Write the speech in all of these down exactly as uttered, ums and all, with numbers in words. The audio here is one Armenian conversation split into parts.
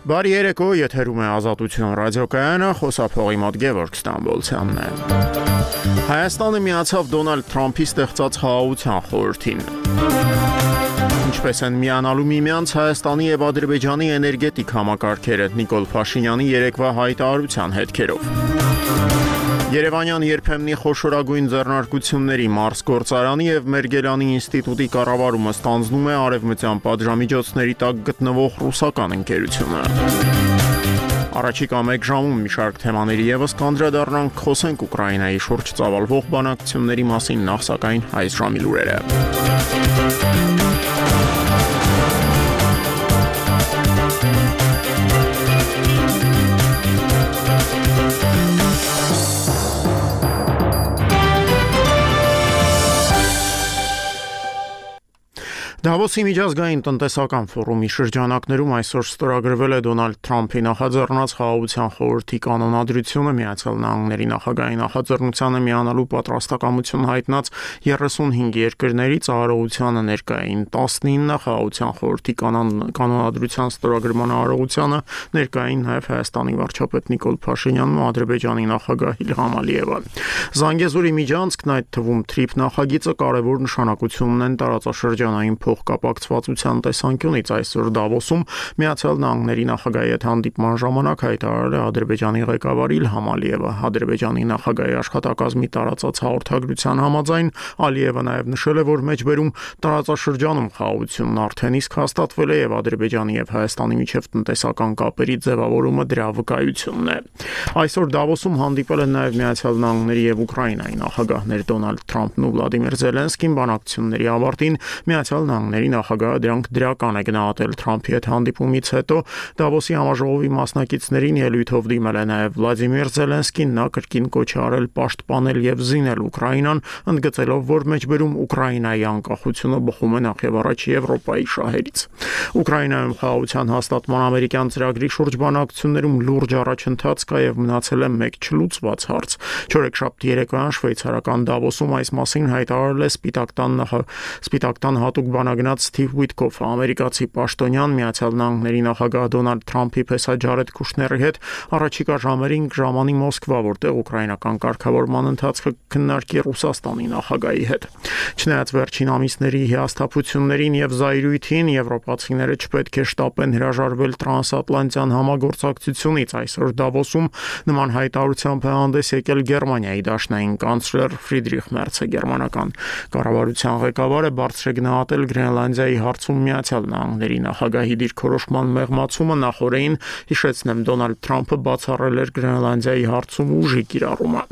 Բարի երեկո, եթերում է Ազատություն ռադիոկայանը, խոսափողի մոտ Գևորգ Ստամբոլցյանն է։ Հայաստանը միացավ Դոնալդ Թրամփի ստեղծած խաղաղության խորհրդին։ Ինչպես են միանալու միմյանց Հայաստանի և Ադրբեջանի էներգետիկ համակարգերը Նիկոլ Փաշինյանի երեկվա հայտարարության հետքերով։ Երևանյան երբեմնի խոշորագույն ձեռնարկությունների Մարս գործարանի և Մերգելյանի ինստիտուտի կառավարումը ստանձնում է արևմտյան պատժամիջոցների տակ գտնվող ռուսական ընկերությունը։ Առաջիկա մեկ ժամում մի շարք թեմաների ևս կանդրադառնանք, խոսենք Ուկրաինայի շուրջ ծավալվող բանակցությունների մասին, նախ սակայն այս ժամի լուրերը։ Դավոսի միջազգային տնտեսական ֆորումի շրջանակներում այսօր ստորագրվել է Դոնալդ Թրամփի նախաձեռնած խաղաղության խորհրդի կանոնադրությունը, Միացյալ Նահանգների նախագահի նախաձեռնությանը միանալու պատրաստակամություն հայտնած երեսունհինգ երկրների ծառայությանը ներկային տասնինը, խաղաղության խորհրդի կանոնադրության ստորագրման արարողությանը ներկային նաև Հայաստանի վարչապետ Նիկոլ Փաշինյանն ու Ադրբեջանի նախագահ Իլհամ Ալիևը։ Զանգեզուրի միջանցքն, այդ թվում թրիփ նախագիծը, կարևոր նշանակություն ունեն տարածաշրջանային փոխկապակցվածության տեսանկյունից։ Այսօր Դավոսում Միացյալ Նահանգների նախագահի հետ հանդիպման ժամանակ հայտարարել է Ադրբեջանի ղեկավար Իլհամ Ալիևը։ Ադրբեջանի նախագահի աշխատակազմի տարածած հաղորդագրության համաձայն Ալիևը նաև նշել է, որ մեջբերում տարածաշրջանում խաղաղությունն արդեն իսկ հաստատվել է և Ադրբեջանի և Հայաստանի միջև տնտեսական կապերի ձևավորումը դրա վկայությունն է։ Այսօր Դավոսում հանդիպել են նաև Միացյալ Նահանգների և Ուկրաինայի նախագահներ Դոնալդ Թրամփն ու Վլադիմիր Զելենսկին։ Բանակցությունների ավարտին Միացյալ Նահանգների նախագահը դրանք դրական է գնահատել։ Թրամփի հետ հանդիպումից հետո Դավոսի համաժողովի մասնակիցներին ելույթով դիմել է նաև Վլադիմիր Զելենսկին։ Նա կրկին կոչ է արել պաշտպանել և զինել Ուկրաինան, ընդգծելով, որ մեջբերում Ուկրաինայի անկախությունը բխում է նախ և առաջ Եվրոպայի շահերից։ Ուկրաինայում խաղաղության հաստատման ամերիկյան ծրագրի շուրջ բանակցություններում լուրջ առաջընթաց կա և մնացել է մեկ չլուծված հարց։ Չորեքշաբթի երեկոյան շվեյցարական Դավոսում այս մասին հայտարարել է Սպիտակ տան Սպիտակ տան հատուկ բանագնաց Սթիվ Ուիթկոֆը։ Ամերիկացի պաշտոնյան Միացյալ Նահանգների նախագահ Դոնալդ Թրամփի պես Ջարեդ Կուշների հետ առաջիկա ժամերին կժամանի Մոսկվա, որտեղ ուկրաինական կարգավորման ընթացքը քննարկի Ռուսաստանի նախագահի հետ։ Չնայած վերջին ամիսների հիասթափություններին և զայրույթին, եվրոպացիները չպետք է շտապեն հրաժարվել տրանսատլանտյան համագործակցությունից։ Այսօր Դավոսում նման հայտարարությամբ է հանդես եկել Գերմանիայի դաշնային կանցլեր Ֆրիդրիխ Մերցը։ Գերմանական կառավարության ղեկավարը բարձր է գնահատել Գրենլանդիայի հարցում Միացյալ Նահանգների նախագահի դիրքորոշման մեղմացումը։ Նախօրեին, հիշեցնեմ, Դոնալդ Թրամփը բացառել էր Գրենլանդիայի հարցում ուժի կիրառումը։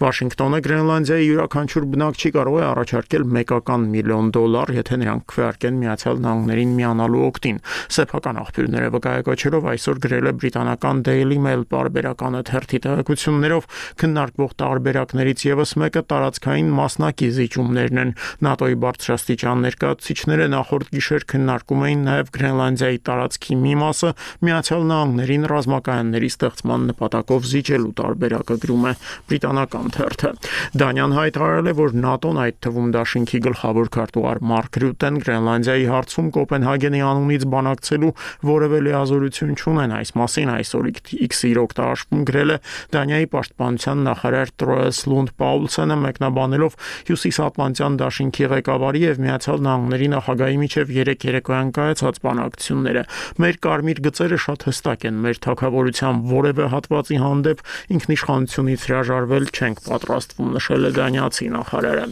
Վաշինգտոնը Գրենլանդիայի յուրաքանչյուր բնակչի կարող է առաջարկել մեկական միլիոն դոլար, եթե նրանք քվեարկեն Միացյալ Նահանգներին միանալու օգտին։ Սեփական աղբյուրները վկայակոչելով այսօր գրել է բրիտանական Daily Mail պարբերականը թերթի տեղեկություններով, քննարկվող տարբերակներից ևս մեկը տարածքային մասնակի զիջումներն են։ ՆԱՏՕ-ի բարձրաստիճան ներկայացուցիչները նախորդ գիշեր քննարկում էին նաև Գրենլանդիայի տարածքի մի մասը Միացյալ Նահանգներին ռազմակայանների ստեղծման նպատակով զիջելու տարբերակը, գրում է բրիտանական թերթը։ Դանիան հայտարարել է, որ ՆԱՏՕ-ն, այդ թվում Դաշինքի գլխավոր քարտուղար Մարկ Ռյուտեն, Գրենլանդիայի հարցում Կոպենհագենի անունից բանակցելու որևէ լիազորություն չունեն։ Այս մասին այսօր X-ի օգտարաշվում գրել է Դանիայի պաշտպանության նախարար Տրոես Լունդ Պաուլսենը, մեկնաբանելով Հյուսիսատլանտյան դաշինքի ղեկավարի և Միացյալ Նահանգների նախագահի միջև երեկ երեկոյան կայացած բանակցությունները։ Մեր կարմիր գծերը շատ հստակ են։ Մեր թագավորության որևէ հատվածի հանդեպ ինքնիշխանությունից հրաժարվել չենք պատրաստվում, նշել է դանիացի նախարարը։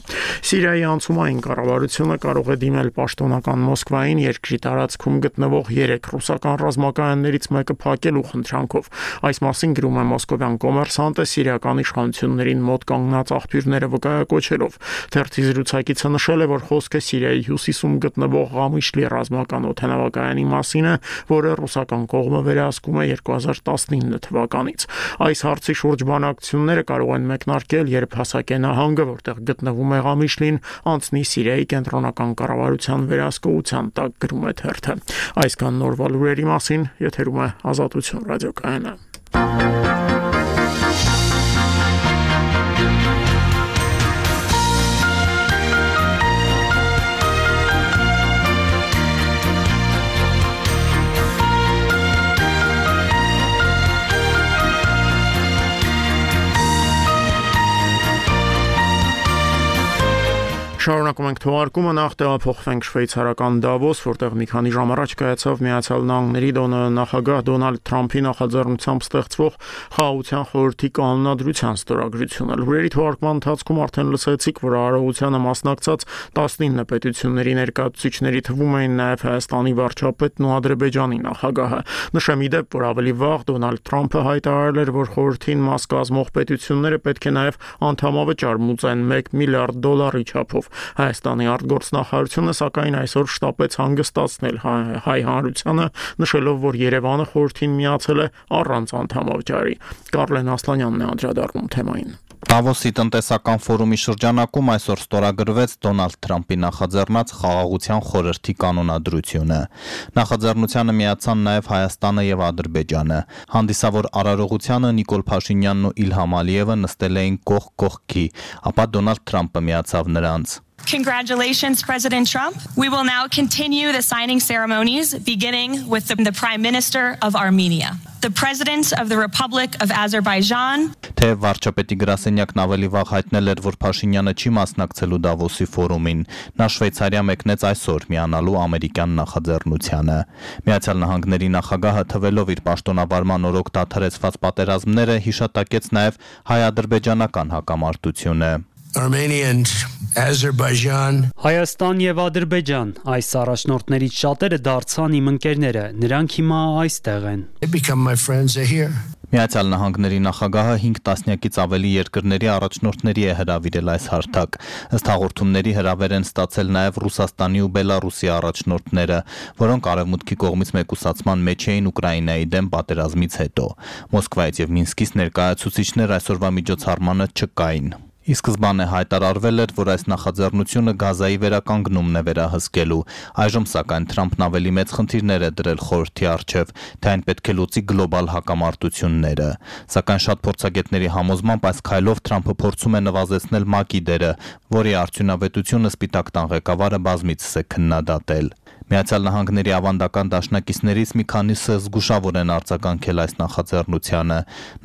Սիրիայի անցումային կառավարությունը կարող է դիմել պաշտոնական Մոսկվային երկրի տարածքում գտնվող երեք ռուսական ռազմակայաններից մեկը փակելու խնդրանքով։ Այս մասին գրում է մոսկովյան Կոմերսանտը սիրիական իշխանություններին մոտ կանգնած աղբյուրները վկայակոչելով։ Թերթի զրուցակիցը նշել է, որ խոսքը Սիրիայի հյուսիսում գտնվող Ղամիշլի ռազմական օդանավակայանի մասին է, որը ռուսական կողմը վերահսկում է երկու հազար տասնինը թվականից։ Այս հարցի շուրջ բանակցությունները կարող են մեկնարկել, երբ հասակե նահանգը, որտեղ գտնվում է Ղամիշլին, անցնի Սիրիայի կենտրոնական կառավարության վերահսկողության տակ, գրում է թերթը։ Այսքան նորվա լուրերի մասին, եթերում է Ազատություն ռադիոկայանը։ Շարունակում ենք թողարկումը, նախ տեղափոխվենք շվեյցարական Դավոս, որտեղ մի քանի ժամ առաջ կայացավ Միացյալ Նահանգների նախագահ Դոնալդ Թրամփի նախաձեռնությամբ ստեղծվող Խաղաղության խորհրդի կանոնադրության ստորագրությունը։ Լուրերի թողարկման ընթացքում արդեն լսեցիք, որ արարողությանը մասնակցած տասնինը պետությունների ներկայացուցիչների թվում էին նաև Հայաստանի վարչապետն ու Ադրբեջանի նախագահը։ Նշեմ ի դեպ, որ ավելի վաղ Դոնալդ Թրամփը հայտարարել էր, որ խորհրդին մաս կազմող պետությունները պետք է նաև անդամավճար մուծեն մեկ միլիարդ դոլարի չափով։ Հայաստանի արտգործնախարարությունը սակայն այսօր շտապեց հանգստացնել հայ հանրությանը, նշելով, որ Երևանը խորհրդին միացել է առանց անդամավճարի։ Կարլեն Ասլանյանն է անդրադառնում թեմային։ Դավոսի տնտեսական ֆորումի շրջանակում այսօր ստորագրվեց Դոնալդ Թրամփի նախաձեռնած Խաղաղության խորհրդի կանոնադրությունը։ Նախաձեռնությանը միացան նաև Հայաստանը եւ Ադրբեջանը։ Հանդիսավոր արարողությանը Նիկոլ Փաշինյանն ու Իլհամ Ալիևը նստել էին կողք կողքի, ապա Դոնալդ Թրամփը միացավ նրանց։ Congratulations, President Trump. We will now continue the signing ceremonies, beginning with the, the Prime Minister of Armenia, the President of the Republic of Azerbaijan. Թե վարչապետի գրասենյակն ավելի վաղ հայտնել էր, որ Փաշինյանը չի մասնակցելու Դավոսի ֆորումին, նա Շվեյցարիա մեկնեց այսօր միանալու ամերիկյան նախաձեռնությանը։ Միացյալ Նահանգների նախագահը թվելով իր պաշտոնավարման օրոք դադարեցված պատերազմները հիշատակեց նաև հայ-ադրբեջանական հակամարտությունը։ Armenia and Azerbaijan. Հայաստան եւ Ադրբեջան, այս առաջնորդներից շատերը դարձան իմ ընկերները, նրանք հիմա այստեղ են։ They become my friends here. Միացյալ Նահանգների նախագահը հինգ տասնյակից ավելի երկրների առաջնորդների է հրավիրել այս հարթակ։ Ըստ հաղորդումների հրավեր են ստացել նաև Ռուսաստանի ու Բելարուսի առաջնորդները, որոնք արևմուտքի կողմից մեկուսացման մեջ էին Ուկրաինայի դեմ պատերազմից հետո։ Մոսկվայից եւ Մինսկից ներկայացուցիչներ այսօրվա միջոցառմանը չկային։ Ի սկզբանե հայտարարվել էր, որ այս նախաձեռնությունը Գազայի վերականգնումն է վերահսկելու։ Այժմ սակայն Թրամփն ավելի մեծ խնդիրներ է դրել խորհրդի առջև, թե այն պետք է լուծի գլոբալ հակամարտությունները։ Սակայն շատ փորձագետների համոզմամբ այս քայլով Թրամփը փորձում է նվազեցնել ՄԱԿ-ի դերը, որի արդյունավետությունը Սպիտակ տան ղեկավարը բազմիցս է քննադատել։ Միացյալ Նահանգների ավանդական դաշնակիցներից մի քանիսը զգուշավոր են արձագանքել այս նախաձեռնությանը։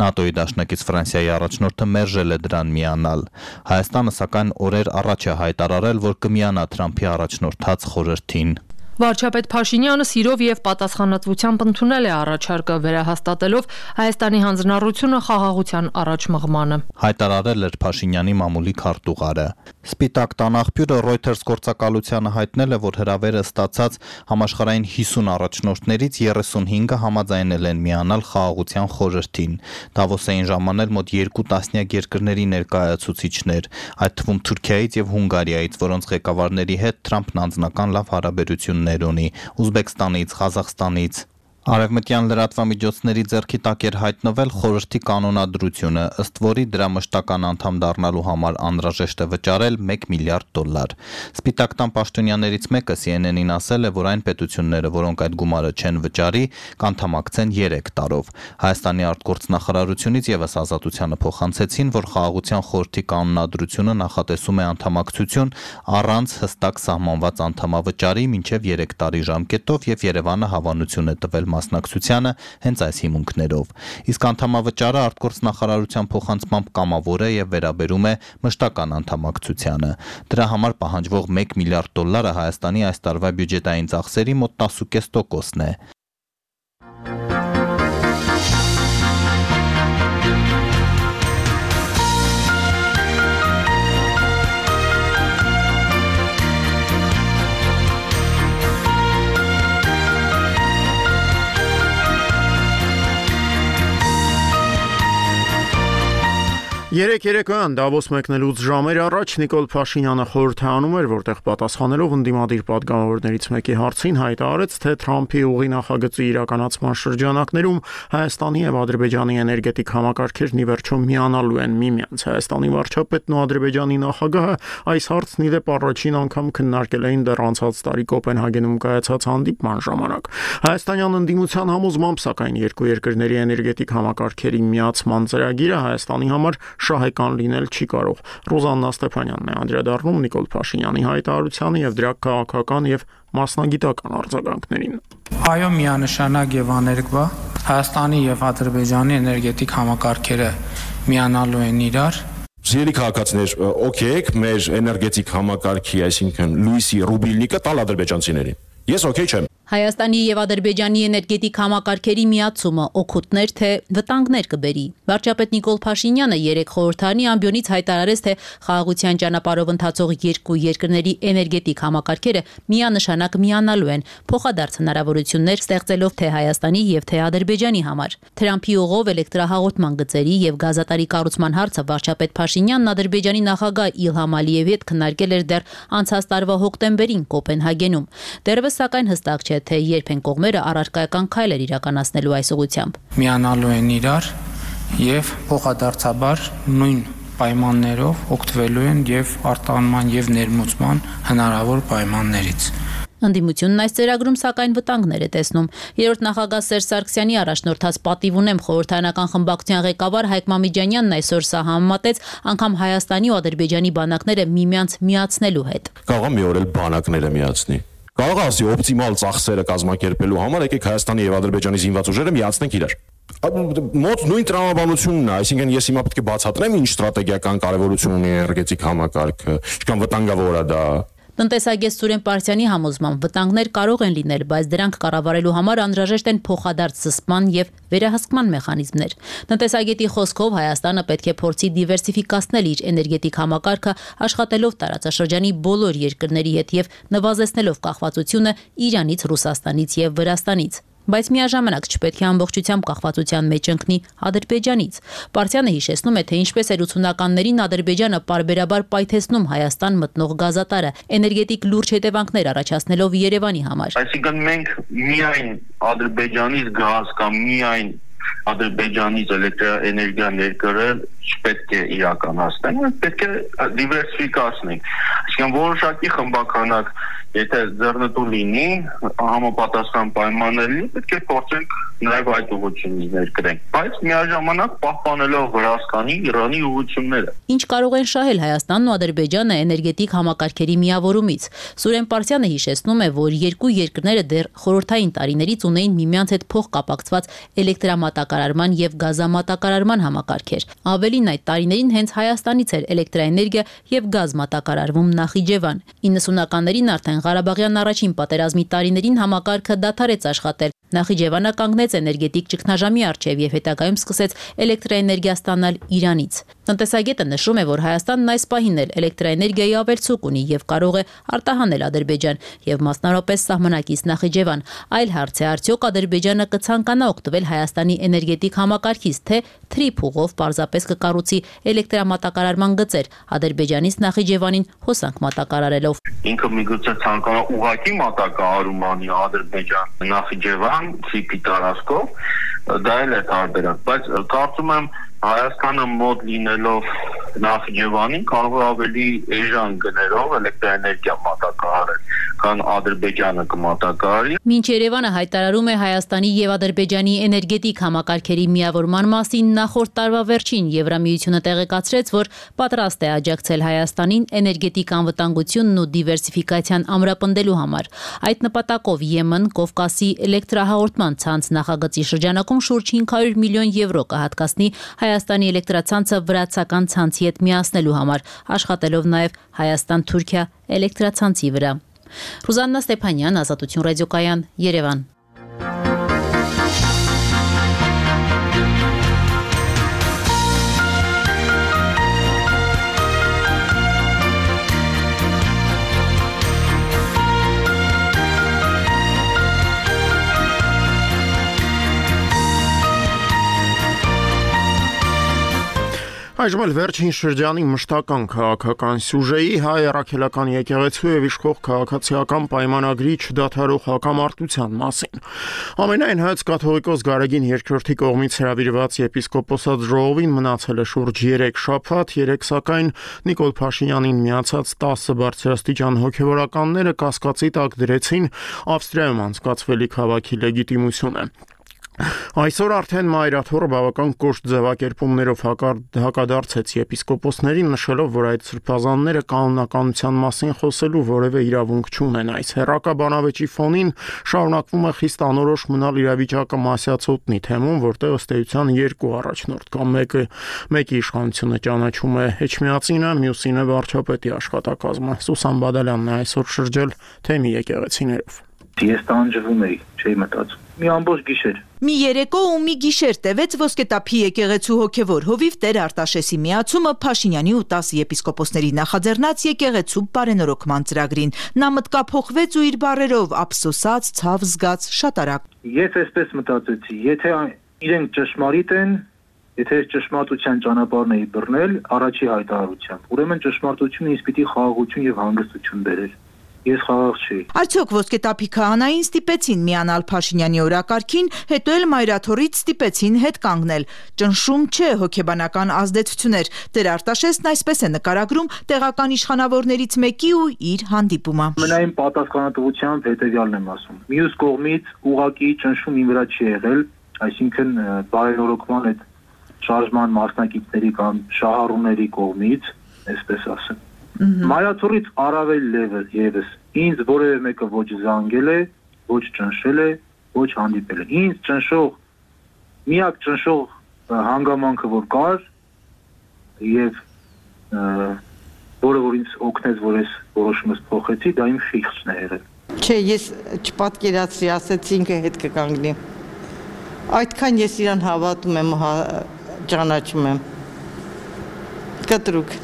ՆԱՏՕ-ի դաշնակից Ֆրանսիայի առաջնորդը մերժել է դրան միանալ։ Հայաստանը սակայն օրեր առաջ է հայտարարել, որ կմիանա Թրամփի առաջնորդած խորհրդին։ Վարչապետ Փաշինյանը սիրով եւ պատասխանատվությամբ ընդունել է առաջարկը, վերահաստատելով Հայաստանի հանձնառությունը խաղաղության առաջմղմանը։ Հայտարարել էր Փաշինյանի մամուլի քարտուղարը։ Սպիտակ տան աղբյուրը Reuters գործակալությանը հայտնել է, որ հրավերը ստացած համաշխարհային հիսուն առաջնորդներից երեսունհինգը համաձայնել են միանալ խաղաղության խորհրդին։ Դավոս էին ժամանել մոտ երկու տասնյակ երկրների ներկայացուցիչներ, այդ թվում Թուրքիայից եւ Հունգարիայից, որոնց ղեկավարների հետ Թրամփն անձնական լավ հարաբերություններ ունի, Ուզբեկստանից, Ղազախստանից։ Արևմտյան լրատվամիջոցների ձեռքի տակ էր հայտնվել խորհրդի կանոնադրությունը, ըստ որի դրա մշտական անդամ դառնալու համար անհրաժեշտ է վճարել մեկ միլիարդ դոլար։ Սպիտակ տան պաշտոնյաներից մեկը C N N-ին ասել է, որ այն պետությունները, որոնք այդ գումարը չեն վճարի, կանթամակցեն երեք տարով։ Հայաստանի արտգործնախարարությունից եւս ազատությանը փոխանցեցին, որ խաղաղության խորհրդի կանոնադրությունը նախատեսում է անդամակցություն առանց հստակ սահմանված անդամավճարի մինչև երեք տարի ժամկետով եւ Երևանը հավանություն է տվել մասնակցությանը հենց այս հիմունքներով։ Իսկ անդամավճարը արտգործնախարարության փոխանցմամբ կամավոր է եւ վերաբերում է մշտական անդամակցությանը։ Դրա համար պահանջվող մեկ միլիարդ դոլարը Հայաստանի այս տարվա բյուջետային ծախսերի մոտ տասը կես տոկոսն է։ Երեք երեկոյան Դավոս մեկնելուց ժամեր առաջ Նիկոլ Փաշինյանը խորհրդանում էր, որտեղ պատասխանելով ընդդիմադիր պատգամավորներից մեկի հարցին հայտարարեց, թե Թրամփի ուղի նախագծի իրականացման շրջանակներում Հայաստանի եւ Ադրբեջանի էներգետիկ համակարգերն ի վերջո միանալու են միմյանց։ Հայաստանի վարչապետն ու Ադրբեջանի նախագահը այս հարցն ի դեպ առաջին անգամ քննարկել էին դեռ անցած տարի Կոպենհագենում կայացած հանդիպման ժամանակ։ Հայաստանյան ընդդիմության համոզմամբ, սակայն երկու երկրների էներգետիկ համակարգերի միացման ծրագիրը Հայաստանի համար շահեկան լինել չի կարող։ Ռոզաննա Ստեփանյանն է անդրադառնում Նիկոլ Փաշինյանի հայտարարությանը եւ դրա քաղաքական եւ մասնագիտական արձագանքներին։ Այո, միանշանակ եւ աներկբա Հայաստանի եւ Ադրբեջանի էներգետիկ համակարգերը միանալու են իրար։ Սիրելի քաղաքացիներ, օքեյ, մեր էներգետիկ համակարգի, այսինքն լույսի ռուբիլնիկը տալ ադրբեջանցիներին։ Ես օքեյ չեմ։ Հայաստանի եւ Ադրբեջանի էներգետիկ համակարգերի միացումը օգուտներ թե վտանգներ կբերի։ Վարչապետ Նիկոլ Փաշինյանը երեք խորհրդարանի ամբիոնից հայտարարեց, թե խաղաղության ճանապարհով ընթացող երկու երկրների էներգետիկ համակարգերը միանշանակ միանալու են, փոխադարձ հնարավորություններ ստեղծելով թե Հայաստանի եւ թե Ադրբեջանի համար։ Թրամփի ուղով էլեկտրահաղորդման գծերի եւ գազատարի կառուցման հարցը վարչապետ Փաշինյանն Ադրբեջանի նախագահ Իլհամ Ալիևի հետ քննարկել էր դեռ անցած տարվա հոկտեմբերին Կոպենհագենում։ Դեռևս սակայն հստակ չէ, թե երբ են կողմերը առարկայական քայլեր իրականացնելու այս ուղղությամբ։ Միանալու են իրար եւ փոխադարձաբար նույն պայմաններով օգտվելու են եւ արտահանման եւ ներմուծման հնարավոր պայմաններից։ Ընդդիմությունն այս ծրագրում սակայն վտանգներ է տեսնում։ Երրորդ նախագահ Սերժ Սարգսյանի առաջնորդած պատիվ ունեմ խորհրդարանական խմբակցության ղեկավար Հայկ Մամիջանյանն այսօր սա համեմատեց անգամ Հայաստանի ու Ադրբեջանի բանակները միմյանց միացնելու հետ։ Կարող է մի օր էլ բանակները միացնի։ Կարող է ասի օպտիմալ ծախսերը կազմակերպելու համար եկեք Հայաստանի եւ Ադրբեջանի զինված ուժերը միացնենք իրար։ Մոտ նույն տրամաբանությունն է, այսինքն ես հիմա պետք է բացատրեմ ինչ ստրատեգիական կարևորություն ունի էներգետիկ համակարգը, ինչքան վտանգավոր է դա։ Տնտեսագետ Սուրեն Պարսյանի համոզմամբ վտանգներ կարող են լինել, բայց դրանք կառավարելու համար անհրաժեշտ են փոխադարձ զսպման եւ վերահսկման մեխանիզմներ։ Տնտեսագետի խոսքով Հայաստանը պետք է փորձի դիվերսիֆիկացնել իր էներգետիկ համակարգը, աշխատելով տարածաշրջանի բոլոր երկրների հետ եւ նվազեցնելով կախվածությունը Իրանից, Ռուսաստանից եւ Վրաստանից։ Բայց միաժամանակ չպետք է ամբողջությամբ կախվածության մեջ ընկնի Ադրբեջանից։ Պարտիանը հիշեցնում է, թե ինչպես էր ութսունականներին Ադրբեջանը պարբերաբար պայթեցնում Հայաստան մտնող գազատարը, էներգետիկ լուրջ հետևանքներ առաջացնելով Երևանի համար։ Այսինքն մենք միայն Ադրբեջանից գազ կամ միայն Ադրբեջանից էլեկտրաէներգիա ներկրել չպետք է իրականացնենք, մենք պետք է դիվերսիֆիկացնենք։ Այսինքն որոշակի խմբականակ, եթե ձեռնտու լինի, համապատասխան պայմաններ լինի, պետք է փորձենք նաև այդ ուղղությունից ներկրենք, բայց միաժամանակ պահպանելով Վրաստանի, Իրանի ուղղությունները։ Ինչ կարող են շահել Հայաստանն ու Ադրբեջանը էներգետիկ համակարգերի միավորումից։ Սուրեն Պարսյանը հիշեցնում է, որ երկու երկրները դեռ խորհրդային տարիներից ունեին միմյանց հետ փոխկապակցված էլեկտրամատակարարման եւ գազամատակարարման համակարգեր։ Ավելին այդ տարիներին հենց Հայաստանից էր էլեկտրաէներգիա եւ գազ մատակարարվում Նախիջևան։ իննսունականներին արդեն Ղարաբաղյան առաջին պատերազմի տարիներին համակարգը դադարեց աշխատել։ Նախիջևանը կանգնեց էներգետիկ ճգնաժամի առջև եւ հետագայում սկսեց էլեկտրաէներգիա ստանալ Իրանից։ Տնտեսագետը նշում է, որ Հայաստանն այս պահին էլ էլեկտրաէներգիայի ավելցուկ ունի եւ կարող է արտահանել Ադրբեջան եւ մասնարարապես սահմանակից Նախիջևան։ Այլ հարց է, արդյոք Ադրբեջանը կցանկանա օգտվել Հայաստանի էներգետիկ համակարգից, թե թրիփ ուղով պարզապես կկառուցի էլեկտրամատակարարման գծեր Ադրբեջանից Նախիջևանին հոսանք մատակարարելով։ Ինքը միգուցե ցանկանա ուղղակի մատակարարում անի Ադրբեջան Նախիջևան ցիպի տարածքով, դա էլ է տարբերակ, բայց կարծում եմ Հայաստանը մոտ լինելով Նախիջևանին կարող է ավելի էժան գներով էլեկտրաէներգիա մատակարարել, քան Ադրբեջանը կմատակարարի։ Մինչ Երևանը հայտարարում է Հայաստանի եւ Ադրբեջանի էներգետիկ համակարգերի միավորման մասին, նախորդ տարվա վերջին Եվրամիությունը տեղեկացրեց, որ պատրաստ է աջակցել Հայաստանին էներգետիկ անվտանգությունն ու դիվերսիֆիկացիան ամրապնդելու համար։ Այդ նպատակով Եմեն Կովկասի էլեկտրահաղորդման ցանց նախագծի շրջանակում շուրջ հինգ հարյուր միլիոն եվրո կհատկացնի Հայաստանի էլեկտրացանցը վրացական ցանցի հետ միացնելու համար, աշխատելով նաև Հայաստան-Թուրքիա էլեկտրացանցի վրա։ Ռուզաննա Ստեփանյան, Ազատություն ռադիոկայան, Երևան։ Այժմ էլ վերջին շրջանի մշտական քաղաքական սյուժեի հայ առաքելական եկեղեցու եւ իշխող քաղաքացիական պայմանագրի չդադարող հակամարտության մասին։ Ամենայն հայոց կաթողիկոս Գարեգին երկրորդի կողմից հրավիրված եպիսկոպոսած ժողովին մնացել է շուրջ երեք շաբաթ, երեք սակայն Նիկոլ Փաշինյանին միացած տասը բարձրաստիճան հոգևորականները կասկածի տակ դրեցին Ավստրիայում անցկացվելիք հավաքի լեգիտիմությունը։ Այսօր արդեն Մայրաթորը բավական կոշտ ձևակերպումներով հակադարձեց եպիսկոպոսներին, նշելով, որ այդ սրբազանները կանոնականության մասին խոսելու որևէ իրավունք չունեն։ Այս հերրակաբանավեճի ֆոնին շարունակվում է խիստ անորոշ մնալ իրավիճակը Մասյացոտնի թեմում, որտեղ ըստ էության երկու առաջնորդ կա, մեկը մեկի իշխանությունը ճանաչում է Էջմիածինը, մյուսին է վարչապետի աշխատակազմը։ Սուսան Բադալյանն է այսօր շրջել թեմի եկեղեցիներով։ Ես տանջվում էի, չէի մտածում։ Մի ամբողջ գիշեր։ Մի երեկո ու մի գիշեր տևեց Ոսկետափի եկեղեցու հոգևոր հովիվ Տեր Արտաշեսի միացումը Փաշինյանի ու տասը եպիսկոպոսների նախաձեռնած եկեղեցու բարենորոգման ծրագրին։ Նա մտկափոխվեց ու իր բառերով ափսոսած, ցավ զգաց, շատ արագ։ Ես այսպես մտածեցի, եթե իրենք ճշմարիտ են, եթե ճշմարտության ճանապարհն էի բռնել, առաջի հայտարարությամբ, ուրեմն ճշմարտությունը ինձ պիտի խաղաղություն եւ հանգստություն բերեր։ Ես խաղաղ չի։ Արդյոք Ոսկետափի քահանային ստիպեցին միանալ Փաշինյանի օրակարգին, հետո էլ Մայրաթորից ստիպեցին հետ կանգնել։ Ճնշում չէ, հոգեբանական ազդեցություններ։ Տեր Արտաշեսն այսպես է նկարագրում տեղական իշխանավորներից մեկի ու իր հանդիպումը։ Մնային պատասխանատվությամբ հետեւյալն եմ ասում։ Մյուս կողմից ուղակի ճնշում իմ վրա չի եղել, այսինքն բարենորոգման այդ շարժման մասնակիցների կամ շահառուների կողմից, այսպես ասեմ։ Մայրաթորից առավել ևս ինձ որևէ մեկը ոչ զանգել է, ոչ ճնշել է, ոչ հանդիպել է։ Ինձ ճնշող միակ ճնշող հանգամանքը որ կար եւ որը որ ինձ օգնեց, որ ես որոշումս փոխեցի, դա իմ խիղճն է եղել։ Չէ, ես չպատկերացրի, ասեցի ինքը հետ կկանգնի։ Այդքան ես իրան հավատում եմ, ճանաչում եմ։ Կտրուկ։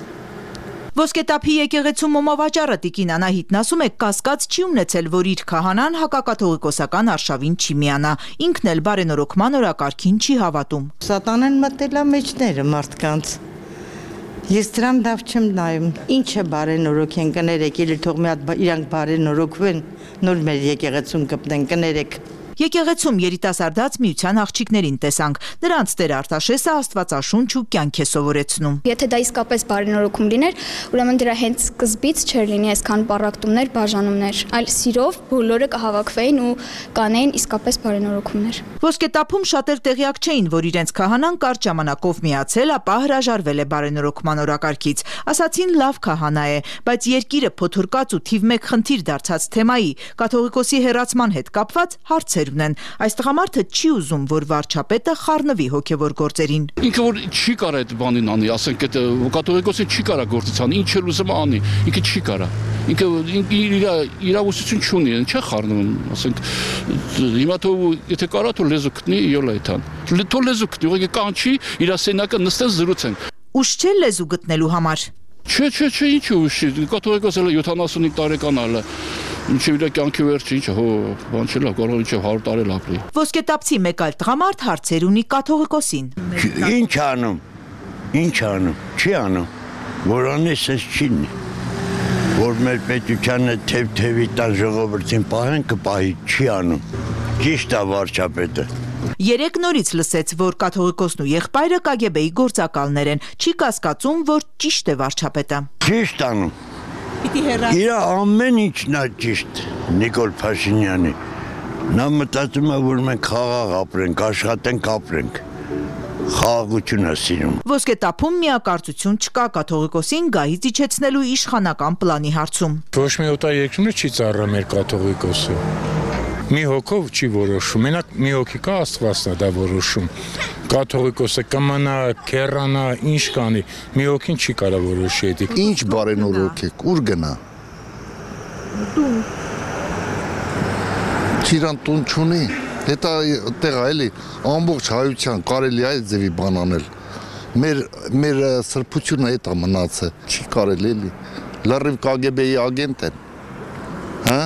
Ոսկետափի եկեղեցու մոմավաճառը Տիկին Անահիտն ասում է, կասկած չի ունեցել, որ իր քահանան հակակաթողիկոսական արշավին չի միանա, ինքն էլ բարենորոգման օրակարգին չի հավատում։ Սատանան մտել է մեջները մարդկանց։ Ես դրան լավ չեմ նայում։ Ինչ է բարենորոգ են, կներեք, ելի թող մի հատ իրանք բարենորոգվեն, նոր մեր եկեղեցուն կպնեն, կներեք։ Եկեղեցում երիտասարդաց միության աղջիկներին տեսանք։ Նրանց Տեր Արտաշեսը աստվածաշունչ ու կյանք է սովորեցնում։ Եթե դա իսկապես բարենորոգում լիներ, ուրեմն դրա հենց սկզբից չէր լինի այսքան պառակտումներ, բաժանումներ, այլ սիրով բոլորը կհավաքվեին ու կանեին իսկապես բարենորոգումներ։ Ոսկետափում շատեր տեղյակ չէին, որ իրենց քահանան կարճ ժամանակով միացել, ապա հրաժարվել է բարենորոգման օրակարգից։ Ասացին լավ քահանա է, բայց երկիրը փոթորկած ու թիվ մեկ խնդիր դարձած թեմայի, կաթողիկոսի հեռացման հետ կապված հարցեր ունեն։ Այս տղամարդը չի ուզում, որ վարչապետը խառնվի հոգևոր գործերին։ Ինքը որ չի կարա այդ բանին անի, ասենք այդ կաթողիկոսը չի կարա գործից անի, ինչ էլ ուզում անի, ինքը չի կարա։ Ինքը իր իրավասություն չունի, չէ խառնում, ասենք հիմա թող եթե կարա թող լեզու գտնի յոլայթան։ Թող լեզու գտնի, ուղղակի կանչի, իր սենակը նստեն զրուցեն։ Ուշ չէ լեզու գտնելու համար։ Չէ, չէ, չէ, ինչ ուշ, կաթողիկոսը յոթանասունհինգ տարեկան ալը։ Ինչեւ իր կյանքի վերջը ինչ հո բան չէ, կարող ինչեւ հարյուր տարի ապրի։ Ոսկետափցի մեկ այլ տղամարդ հարցեր ունի կաթողիկոսին։ Ինչ անում։ Ինչ անում։ Չի անում։ Որ անես էս չինի։ Որ մեր պետությանը թեւ-թեւի տան ժողովրդին պահեն կպահի, չի անում։ Ճիշտ է վարչապետը։ Երեք նորից լսեց, որ կաթողիկոսն ու եղբայրը Կ Գ Բ-ի գործակալներ են, չի կասկածում, որ ճիշտ է վարչապետը։ Ճիշտ անում։ Իր ամեն ինչն է ճիշտ, Նիկոլ Փաշինյանի։ Նա մտածում է, որ մենք խաղաղ ապրենք, աշխատենք, ապրենք։ Խաղաղություն է սիրում։ Ոսկետափում միակարծություն չկա կաթողիկոսին գահից իջեցնելու իշխանական պլանի հարցում։ Ոչ մի օտարերկրում չի ծառա մեր կաթողիկոսը։ Մի հոգով չի որոշում, մենակ մի հոգի կա, Աստվածն է դա որոշում։ Կաթողիկոսը կմնա, քեռանա, ինչ կանի, մի հոգին չի կարա որոշի դա։ Ինչ բարենորոգ եք, ուր գնա։ Տուն։ Իրան տուն չունի, հետա տեղ էլի ամբողջ հայության կարելի է այդ ձևի բան անել։ Մեր մեր սրբությունը հետա մնացը, չի կարելի էլի։ Լրիվ Կ Գ Բ-ի ագենտ են։ Հա?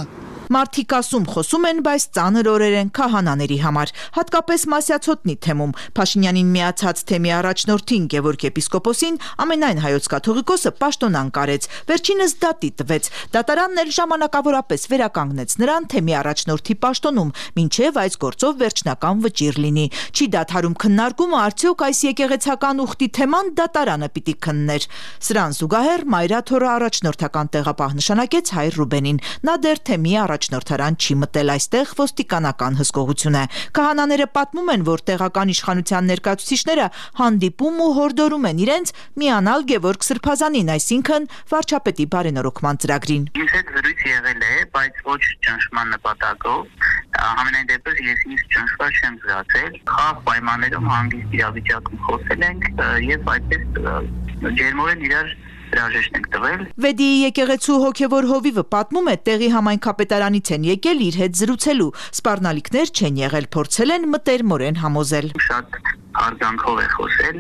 Մարդիկ ասում խոսում են, բայց ծանր օրեր են քահանաների համար, հատկապես Մասյացոտնի թեմում։ Փաշինյանին միացած թեմի առաջնորդին Գևորգ եպիսկոպոսին ամենայն հայոց կաթողիկոսը պաշտոնան կարեց, վերջինս դատի տվեց։ Դատարանն էլ ժամանակավորապես վերականգնեց նրան թեմի առաջնորդի պաշտոնում, մինչև այս գործով վերջնական վճիռ լինի։ Չի դադարում քննարկումը, արդյոք այս եկեղեցական ուխտի թեման դատարանը պիտի քններ։ Սրան զուգահեռ Մայրաթորը առաջնորդական տեղապահ նշանակեց Հայր Ռուբենին։ Նա դեռ թեմի առաջնորդարան չի մտել, այստեղ ոստիկանական հսկողություն է։ Քահանաները պատմում են, որ տեղական իշխանության ներկայացուցիչները հանդիպում ու հորդորում են իրենց միանալ Գևորգ Սրբազանին, այսինքն վարչապետի բարենորոգման ծրագրին։ Ինձ հետ զրույց եղել է, բայց ոչ ճնշման նպատակով։ Համենայն դեպս ես ինձ ճնշված չեմ զգացել։ Խաղ պայմաններում հանգիստ իրավիճակում խոսել ենք եւ այդպես ջերմորեն իրար հրաժեշտ ենք տվել։ Վեդիի եկեղեցու հոգևոր հովիվը պատմում է, տեղի համայնքապետարանից են եկել իր հետ զրուցելու։ Սպառնալիքներ չեն եղել, փորձել են մտերմորեն համոզել։ Շատ հարգանքով է խոսել,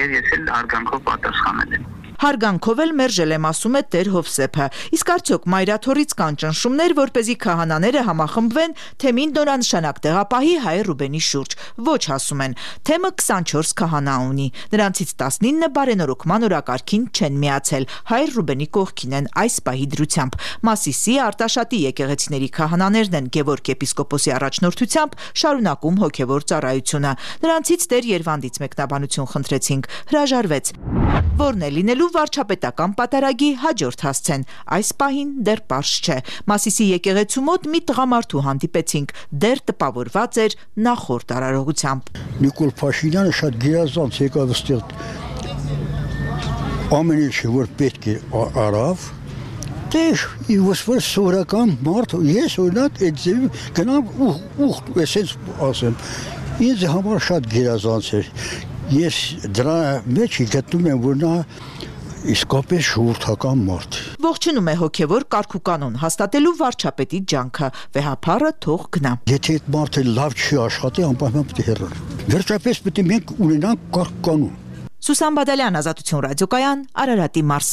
եւ ես էլ հարգանքով պատասխանել եմ։ Հարգանքով էլ մերժել եմ, ասում է Տեր Հովսեփը։ Իսկ արդյոք մայրաթորից կան ճնշումներ, որպեսզի քահանաները համախմբվեն թեմին նորանշանակ տեղապահի Հայ Ռուբենի շուրջ։ Ոչ, ասում են, թեմը քսանչորս քահանա ունի։ Նրանցից տասնինը բարենորոգման օրակարգին չեն միացել, Հայ Ռուբենի կողքին են այս պահի դրությամբ։ Մասիսի Արտաշատի եկեղեցիների քահանաներն են Գևորգ եպիսկոպոսի առաջնորդությամբ շարունակում հոգևոր ծառայությունը։ Նրանցից Տեր Երվանդից մեկնաբանություն խնդրեցինք, հրաժարվեց։ Որն է լինելու վարչապետական պատարագի հաջորդ հասցեն, այս պահին դեռ պարզ չէ։ Մասիսի եկեղեցու մոտ մի տղամարդու հանդիպեցինք, դեռ տպավորված էր նախորդ արարողությամբ։ Նիկոլ Փաշինյանը շատ գերազանց եկավ այստեղ, ամեն ինչը որ պետք է արավ, դեր իվս որ սովորական մարդ, ես օրինակ այդ ձևի գնամ ուխտ, այսպես ասեմ, ինձ համար շատ գերազանց էր։ Ես դրա մեջ գտնում եմ, որ նա իսկապես շուրթական մարդ։ Ողջունում է հոգևոր կարգուկանոն հաստատելու վարչապետի ջանքը, վեհափառը թող գնա։ Եթե այդ մարդը լավ չի աշխատի, անպայման պետք է հեռանա։ Վերջապես պետք է մենք ունենանք կարգուկանոն։ Սուսան Բադալյան, Ազատություն ռադիոկայան, Արարատի մարզ։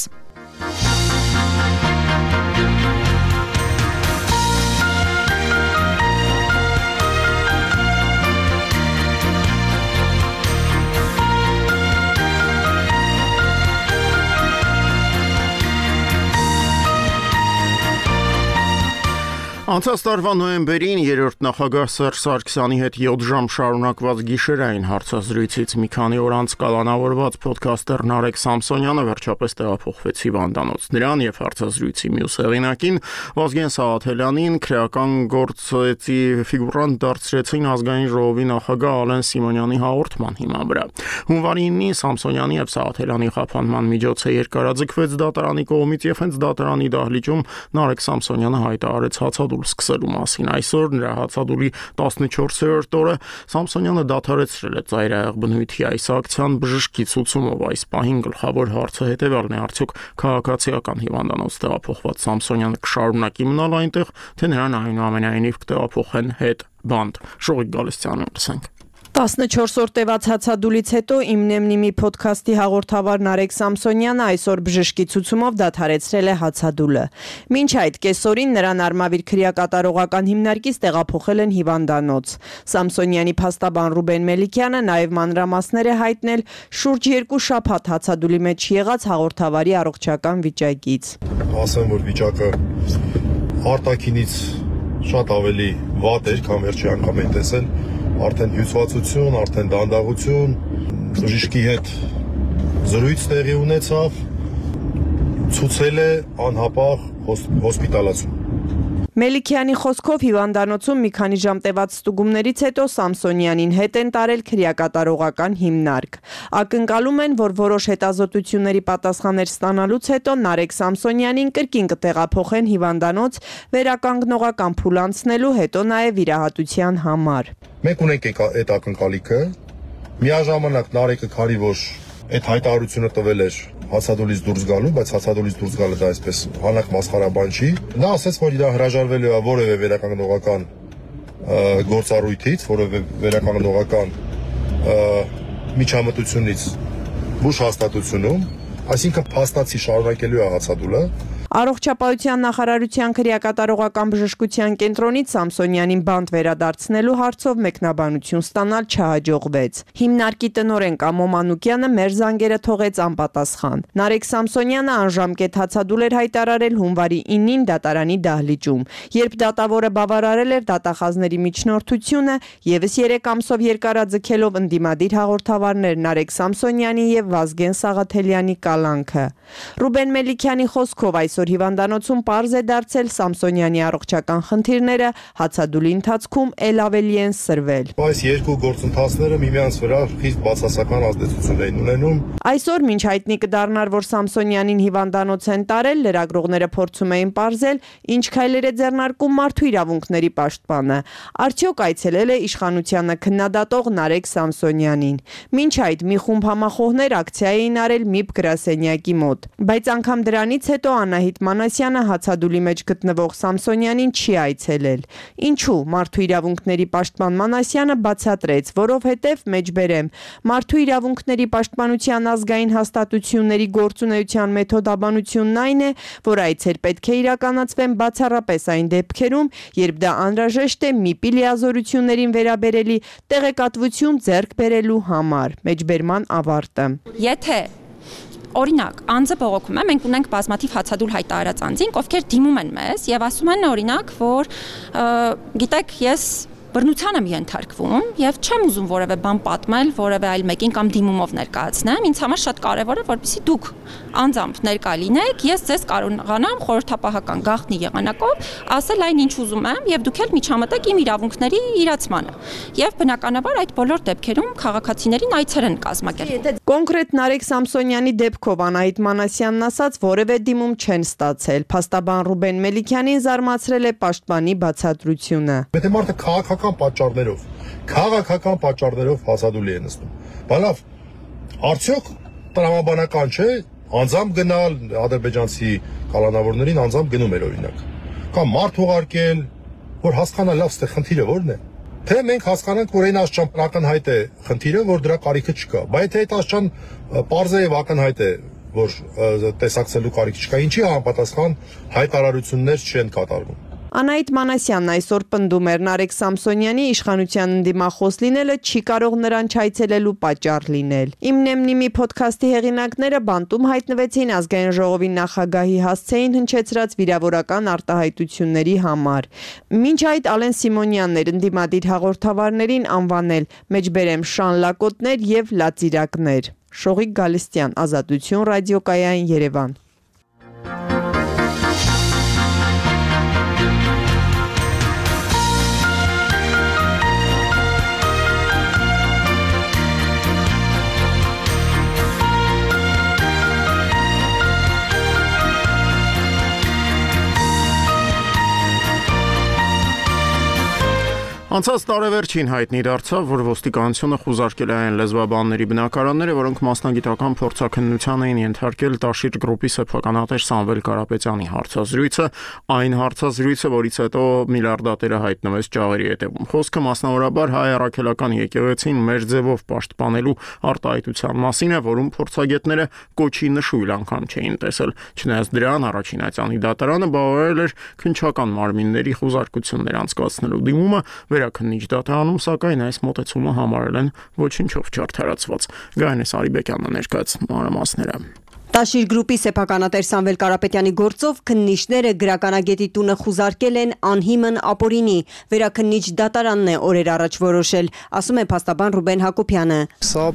Անցած տարվա նոյեմբերին երրորդ նախագահ Սերժ Սարգսյանի հետ յոթ ժամ շարունակված գիշերային հարցազրույցից մի քանի օր անց կալանավորված ոդքասթեր Նարեկ Սամսոնյանը վերջապես տեղափոխվեց հիվանդանոց։ Նրան եւ հարցազրույցի մյուս հեղինակին Վազգեն Սաղաթելյանին քրեական գործի ֆիգուրանտ դարձրեցին ազգային ժողովի նախագահ Ալեն Սիմոնյանի հաղորդման հիման վրա։ Հունվարի ինին Սամսոնյանի եւ Սաղաթելյանի խափանման միջոցը երկարաձգվեց դատարանի կողմից եւ հենց դատարանի դահլիճում Նարեկ Սամսոնյանը հայտարարեց հացադուլ սկսելու մասին։ Այսօր նրա հացադուլի տասնչորսերորդ օրը Սամսոնյանը դադարեցրել է ծայրահեղ բնույթի այս ակցիան բժշկի ցուցումով։ Այս պահին գլխավոր հարցը հետևյալն է. արդյոք քաղաքացիական հիվանդանոց տեղափոխված Սամսոնյանը կշարունակի մնալ այնտեղ, թե նրան այնուամենայնիվ կտեղափոխեն հետ բանդ։ Շողիկ Գալստյանն լսենք։ տասնչորս օր տևած հացադուլից հետո Իմ Նեմնիմի փոդքասթի հաղորդավար Նարեկ Սամսոնյանը այսօր բժշկի ցուցումով դադարեցրել է հացադուլը։ Մինչ այդ կեսօրին նրան Արմավիր քրեակատարողական հիմնարկից տեղափոխել են հիվանդանոց։ Սամսոնյանի փաստաբան Ռուբեն Մելիքյանը նաև մանրամասներ է հայտնել շուրջ երկու շաբաթ հացադուլի մեջ եղած հաղորդավարի առողջական վիճակից։ Ասեմ, որ վիճակը արտաքինից շատ ավելի վատ էր, քան վերջի անգամ են տեսել։ Արդեն հյուսվածություն, արդեն դանդաղություն, բժշկի հետ զրույց տեղի ունեցավ, ցուցել է անհապաղ հոսպիտալացում։ Մելիքյանի խոսքով հիվանդանոցում մի քանի ժամ տևած ստուգումներից հետո Սամսոնյանին հետ են տարել քրեակատարողական հիմնարկ։ Ակնկալում են, որ որոշ հետազոտությունների պատասխաններ ստանալուց հետո Նարեկ Սամսոնյանին կրկին կտեղափոխեն հիվանդանոց վերականգնողական փուլ անցնելու, հետո նաև վիրահատության համար։ Մենք ունենք այդ ակնկալիքը, միաժամանակ Նարեկը քարի որ այդ հայտարարությունը տվել էր հացադուլից դուրս գալու, բայց հացադուլից դուրս գալը դա այսպես հանակ մասխարաբան չի։ Նա ասաց, որ իր հրաժարվելու է որևէ վերականգնողական գործառույթից, որևէ վերականգնողական միջամտությունից բուժ հաստատությունում, այսինքն փաստացի շարունակելու է հացադուլը։ Առողջապահության նախարարության քրեակատարողական բժշկության կենտրոնից Սամսոնյանին բանտ վերադարձնելու հարցով մեկնաբանություն ստանալ չհաջողվեց։ Հիմնարկի տնօրեն Կամո Մանուկյանը մեր զանգերը թողեց անպատասխան։ Նարեկ Սամսոնյանը անժամկետ հացադուլ էր հայտարարել հունվարի ինին դատարանի դահլիճում, երբ դատավորը բավարարել էր դատախազների միջնորդությունը, եւս երեք ամսով երկարաձգելով ընդդիմադիր հաղորդավարներ Նարեկ Սամսոնյանի եւ Վազգեն Սաղաթելյանի կալանքը։ Ռուբեն Մելիքյանի խոսքով այսօր այսօր հիվանդանոցում պարզ է դարձել Սամսոնյանի առողջական խնդիրները հացադուլի ընթացքում էլ ավելի են սրվել։ Այս երկու գործընթացները միմյանց վրա խիստ բացասական ազդեցություն են ունենում։ Այսօր մինչ հայտնի կդառնար, որ Սամսոնյանին հիվանդանոց են տարել, լրագրողները փորձում էին պարզել, ինչ քայլեր է ձեռնարկում մարդու իրավունքների պաշտպանը։ Արդյոք այցելել է իշխանությանը քննադատող Նարեկ Սամսոնյանին։ Մինչ այդ մի խումբ համախոհներ ակցիա էին արել ՄԻՊ գրասենյակի մոտ։ Բայց անգամ դրանից հետո Անահիտ Մանասյանը հացադուլի մեջ գտնվող Սամսոնյանին չի այցելել։ Ինչու? Մարդու իրավունքների պաշտպան Մանասյանը բացատրեց, որովհետև մեջբերեմ մարդու իրավունքների պաշտպանության ազգային հաստատությունների գործունեության մեթոդաբանությունն այն է, որ այցեր պետք է իրականացվեն բացառապես այն դեպքերում, երբ դա անհրաժեշտ է ՄԻՊ-ի լիազորություններին վերաբերելի տեղեկատվություն ձեռք բերելու համար։ Մեջբերման ավարտը։ Եթե օրինակ, անձը բողոքում է, մենք ունենք բազմաթիվ հացադուլ հայտարարած անձինք, ովքեր դիմում են մեզ եւ ասում են օրինակ, որ գիտեք, ես բռնության եմ ենթարկվում եւ չեմ ուզում որևէ բան պատմել, որևէ այլ մեկին կամ դիմումով ներկայացնեմ, ինձ համար շատ կարեւոր է, որպեսզի դուք անձամբ ներկա լինեք, ես ձեզ կարողանամ խորհրդապահական գաղտնի եղանակով ասել այն ինչ ուզում եմ եւ դուք էլ միջամտեք իմ իրավունքների իրացմանը։ Եվ բնականաբար այդ բոլոր դեպքերում քաղաքացիներին այցեր են կազմակերպում։ Կոնկրետ Նարեկ Սամսոնյանի դեպքով Անահիտ Մանասյանն ասաց, որևէ դիմում չեն ստացել։ Փաստաբան Ռուբեն Մելիքյանին զարմացրել է պաշտպանի բացատրությունը։ Եթե մարդը քաղաքական պատճառներով, քաղաքական պատճառներով հացադուլի է նստում։ Բալավ, արդյոք տրամաբանական չէ անձամբ գնալ ադրբեջանցի կալանավորներին անձամբ գնում էր օրինակ։ Կամ մարդ ուղարկել, որ հասկանա լավ ստե խնդիրը որն է։ Թե մենք հասկանանք, որ այն աշճան ակնհայտ է խնդիրը, որ դրա կարիքը չկա։ Բայց թե այդ աշճան պարզ է եւ ակնհայտ է, որ տեսակցելու կարիք չկա, ինչի համապատասխան հայտարարություններ չեն կատարվում։ Անահիտ Մանասյանն այսօր պնդում էր Նարեկ Սամսոնյանի իշխանության ընդդիմախոս լինելը չի կարող նրան չայցելելու պատճառ լինել։ Իմ Նեմնիմի ոդքասթի հեղինակները բանտում հայտնվեցին ազգային ժողովի նախագահի հասցեին հնչեցրած վիրավորական արտահայտությունների համար։ Մինչ այդ Ալեն Սիմոնյանն էր ընդդիմադիր հաղորդավարներին անվանել մեջբերեմ շանլակոտներ եւ լածիրակներ։ Շողիկ Գալստյան, Ազատություն ռադիոկայան, Երևան։ Անցած տարեվերջին հայտնի դարձավ, որ ոստիկանությունը խուզարկել է այն լեզվաբանների բնակարանները, որոնք մասնագիտական փորձաքննության էին ենթարկել Տաշիր գրուպի սեփականատեր Սամվել Կարապետյանի հարցազրույցը, այն հարցազրույցը, որից հետո միլիարդատերը հայտնվեց ճաղերի հետևում։ Խոսքը մասնավորաբար հայ առաքելական եկեղեցին մեր ձևով պաշտպանելու արտահայտության մասին է, որում փորձագետները կոչի նշույլ անգամ չէին տեսել։ Չնայած դրան առաջին այցանի դատարանը բավարարել էր քննչական մարմինների խուզարկություններ անցկացնելու դիմումը, Վերաքննիչ դատարանում, սակայն այս մոտեցումը համարել են ոչինչով չարդարացված։ Գայանե Սարիբեկյանը ներկայացնում մանրամասները։ Տաշիր գրուպի սեփականատեր Սամվել Կարապետյանի գործով քննիչները գրականագետի տունը խուզարկել են անհիմն ապօրինի։ Վերաքննիչ դատարանն է օրեր առաջ որոշել, ասում է փաստաբան Ռուբեն Հակոբյանը։ Սա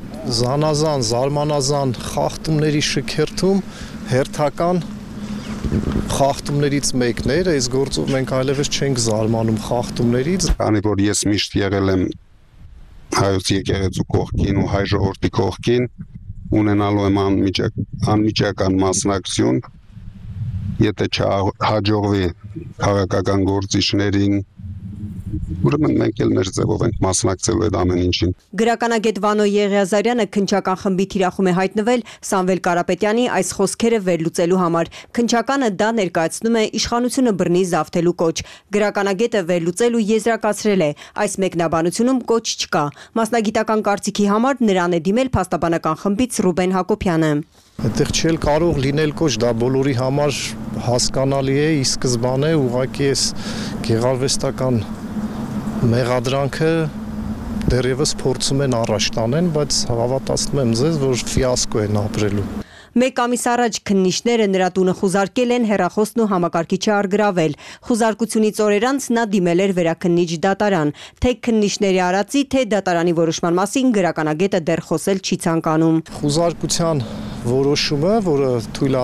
զանազան, զարմանազան խախտումների շքերթում հերթական խախտումներից մեկն էր, այս գործով մենք այլևս չենք զարմանում խախտումներից։ Քանի որ ես միշտ եղել եմ հայոց եկեղեցու կողքին ու հայ ժողովրդի կողքին, ունենալու եմ անմիջակ, անմիջական մասնակցություն, եթե չհաջողվի քաղաքական գործիչներին, ուրեմն մենք էլ մեր ձևով ենք մասնակցելու այդ ամեն ինչին։ Գրականագետ Վանո Եղիազարյանը քննչական խմբի թիրախում է հայտնվել Սամվել Կարապետյանի այս խոսքերը վերլուծելու համար։ Քննչականը դա ներկայացնում է իշխանությունը բռնի զավթելու կոչ։ Գրականագետը վերլուծել ու եզրակացրել է, այս մեկնաբանությունում կոչ չկա։ Մասնագիտական կարծիքի համար նրան է դիմել փաստաբանական խմբից Ռուբեն Հակոբյանը։ Այդտեղ չել կարող լինել կոչ, դա բոլորի համար հասկանալի է, ի սկզբանե ուղղակի էս գեղարվեստական մեղադրանքը դեռևս փորձում են առաջ տանեն, բայց հավատացնում եմ ձեզ, որ ֆիասկո են ապրելու։ Մեկ ամիս առաջ քննիչները նրա տունը խուզարկել են, հեռախոսն ու համակարգիչը առգրավել։ Խուզարկությունից օրեր անց նա դիմել էր վերաքննիչ դատարան։ Թե քննիչների արածի, թե դատարանի որոշման մասին գրականագետը դեռ խոսել չի ցանկանում։ Խուզարկության որոշումը, որը թույլ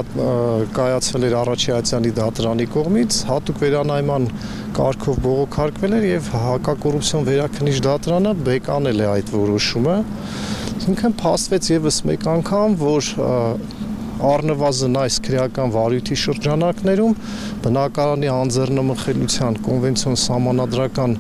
կայացվել էր Արարատյանի դատարանի կողմից, հատուկ վերանայման կարգով բողոքարկվել էր եւ հակակոռուպցիոն վերաքննիչ դատարանը բեկանել է այդ որոշումը։ Ինքն փաստվեց եւս մեկ անգամ, որ առնվազն այս քրեական վարույթի շրջանակներում բնակարանի անձեռնմխելիության կոնվենցիոն սահմանադրական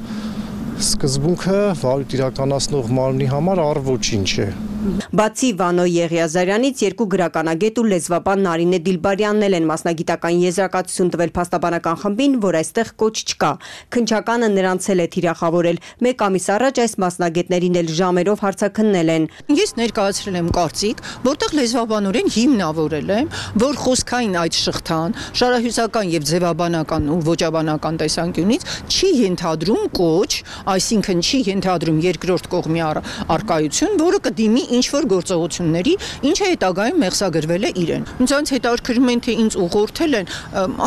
սկզբունքը վարույթ իրականացնող մարմնի համար առ-ոչինչ է։ Բացի Վանո Եղիազարյանից երկու գրականագետ ու լեզվաբան Նարինե Դիլբարյանն էլ են մասնագիտական եզրակացություն տվել փաստաբանական խմբին, որ այստեղ կոչ չկա։ Քննչականը նրանց էլ է թիրախավորել։ Մեկ ամիս առաջ այս մասնագետներին էլ ժամերով հարցաքննել են։ Ես ներկայացրել եմ կարծիք, որտեղ լեզվաբանորեն հիմնավորել եմ, որ խոսքային այդ շղթան շարահյուսական եւ ձևաբանական ու ոճաբանական տեսանկյունից չի ենթադրում կոչ, այսինքն չի ենթադրում երկրորդ կողմի առկայություն, որը կդիմի ինչ-որ գործողությունների, ինչը հետագայում մեղսագրվել է իրեն։ Ինձ հետաքրքրում են, թե ինձ ուղղորդել են,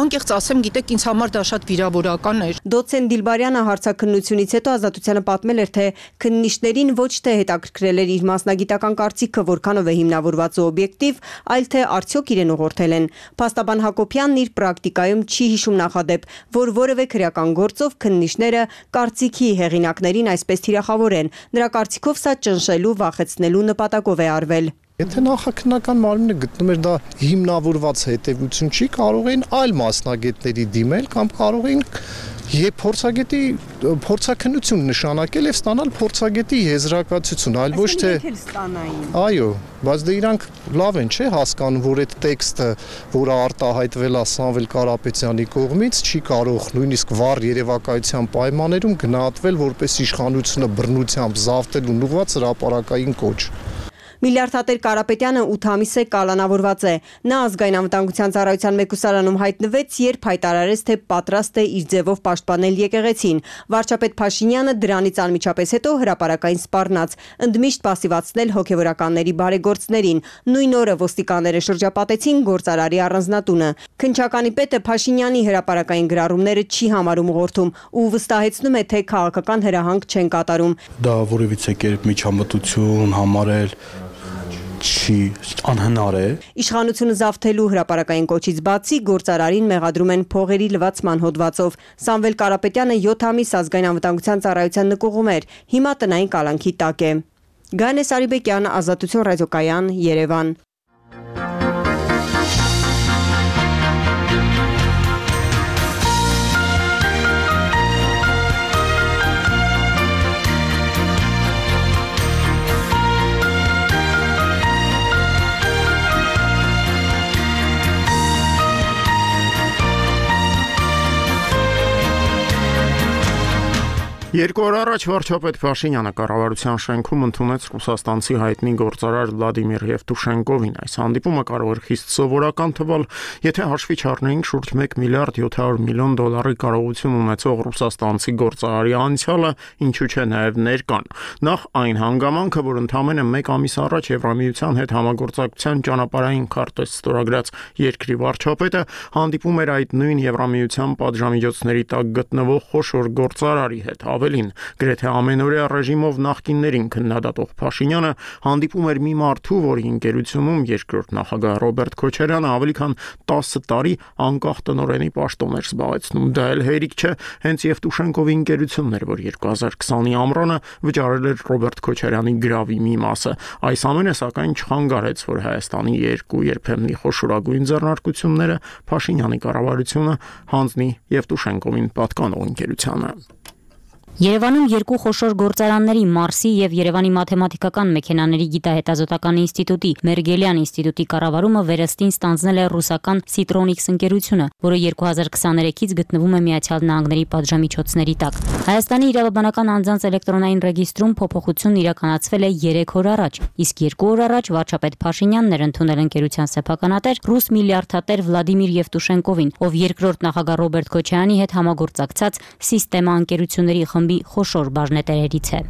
անկեղծ ասեմ, գիտեք, ինձ համար դա շատ վիրավորական էր։ Դոցենտ Դիլբարյանը հարցաքննությունից հետո Ազատությանը պատմել էր, թե քննիչներին ոչ թե հետաքրքրել էր իր մասնագիտական կարծիքը, որքանով է հիմնավորված ու օբյեկտիվ, այլ թե արդյոք իրեն ուղղորդել են։ Փաստաբան Հակոբյանն իր պրակտիկայում չի հիշում նախադեպ, որ որևէ քրեական գործով քննիչները կարծիքի հեղինակներին այսպես թիրախավորեն։ Նրա կարծիքով սա ճնշելու, վախեցնելու նպատակով է արվել։ Եթե նախաքննական մարմինը գտնում էր դա հիմնավորված հետևություն չի, կարող էին այլ մասնագետների դիմել կամ կարող էին եւ փորձագետի փորձաքննություն նշանակել եւ ստանալ փորձագետի եզրակացություն, այլ ոչ թե այո, բայց դե իրանք լավ են, չէ, հասկանում, որ այդ տեքստը, որը արտահայտվել է Սամվել Կարապետյանի կողմից, չի կարող նույնիսկ վառ երևակայության պայմաններում գնահատվել որպես իշխանությունը բռնությամբ զավթելուն ուղղված հրապարակային կոչ։ Միլիարդատեր Կարապետյանը ութ ամիս է կալանավորված է։ Նա ազգային անվտանգության ծառայության մեկուսարանում հայտնվեց, երբ հայտարարեց, թե պատրաստ է իր ձևով պաշտպանել եկեղեցին։ Վարչապետ Փաշինյանը դրանից անմիջապես հետո հրապարակային սպառնաց, ընդմիշտ պասիվացնել հոգևորականների բարեգործներին։ Նույն օրը ոստիկանները շրջապատեցին գործարարի առանձնատունը։ Քննչականի պետը Փաշինյանի հրապարակային գրառումները չի համարում ուղղորդում ու վստահեցնում է, թե քաղաքական հրահանգ չեն կատարում։ Դա որևիցե կերպ միջամտություն համարել չի անհնար է։ Իշխանությունը զավթելու հրապարակային կոչից բացի գործարարին մեղադրում են փողերի լվացման հոդվածով։ Սամվել Կարապետյանը յոթ ամիս ազգային անվտանգության ծառայության նկուղում էր, հիմա տնային կալանքի տակ է։ Գանե Սարիբեկյան, Ազատություն ռադիոկայան, Երևան։ Երկու օր առաջ վարչապետ Փաշինյանը կառավարության շենքում ընդունեց ռուսաստանցի հայտնի գործարար Վլադիմիր Եվտուշենկովին։ Այս հանդիպումը կարող էր խիստ սովորական թվալ, եթե հաշվի չառնեինք շուրջ մեկ միլիարդ յոթ հարյուր միլիոն դոլարի կարողություն ունեցող ռուսաստանցի գործարարի անցյալը, ինչու չէ նաև ներկան։ Նախ այն հանգամանքը, որ ընդամենը մեկ ամիս առաջ Եվրամիության հետ համագործակցության ճանապարհային քարտեզ ստորագրած երկրի վարչապետը հանդիպում էր այդ նույն Եվրամիության պատժամիջոցների տակ գտնվող խոշոր գործարարի հետ։ Ավելին, գրեթե ամենօրյա ռեժիմով նախկիններին քննադատող Փաշինյանը հանդիպում էր մի մարդու, որի ընկերությունում երկրորդ նախագահ Ռոբերտ Քոչարյանը ավելի քան տասը տարի անկախ տնօրենի պաշտոն էր զբաղեցնում։ Դա էլ հերիք չէ, հենց Եվտուշենկովի ընկերությունն էր, որ երկու հազար քսանի ամռանը վճարել էր Ռոբերտ Քոչարյանի գրավի մի մասը։ Այս ամենը սակայն չխանգարեց, որ Հայաստանի երկու երբեմնի խոշորագույն ձեռնարկությունները Փաշինյանի կառավարությունը հանձնի Եվտուշենկովին պատկանող ընկերությանը։ Երևանում երկու խոշոր գործարանների Մարսի եւ Երևանի մաթեմատիկական մեքենաների գիտահետազոտական ինստիտուտի Մերգելյան ինստիտուտի կառավարումը վերստին ստանձնել է ռուսական Citronics ընկերությունը, որը երկու հազար քսաներեքից գտնվում է Միացյալ Նահանգների պատժամիջոցների տակ։ Հայաստանի իրավաբանական անձանց էլեկտրոնային ռեգիստրում փոփոխություն իրականացվել է երեք օր առաջ, իսկ երկու օր առաջ վարչապետ Փաշինյանն էր ընդունել ընկերության սեփականատեր ռուս միլիարդատեր Վլադիմիր Եվտուշենկովին, ով երկրորդ նախագահ Ռոբերտ Քոչարյանի հետ համագործակցած Սիստեմա ընկերությունների խմբի խոշոր բաժնետերերից է։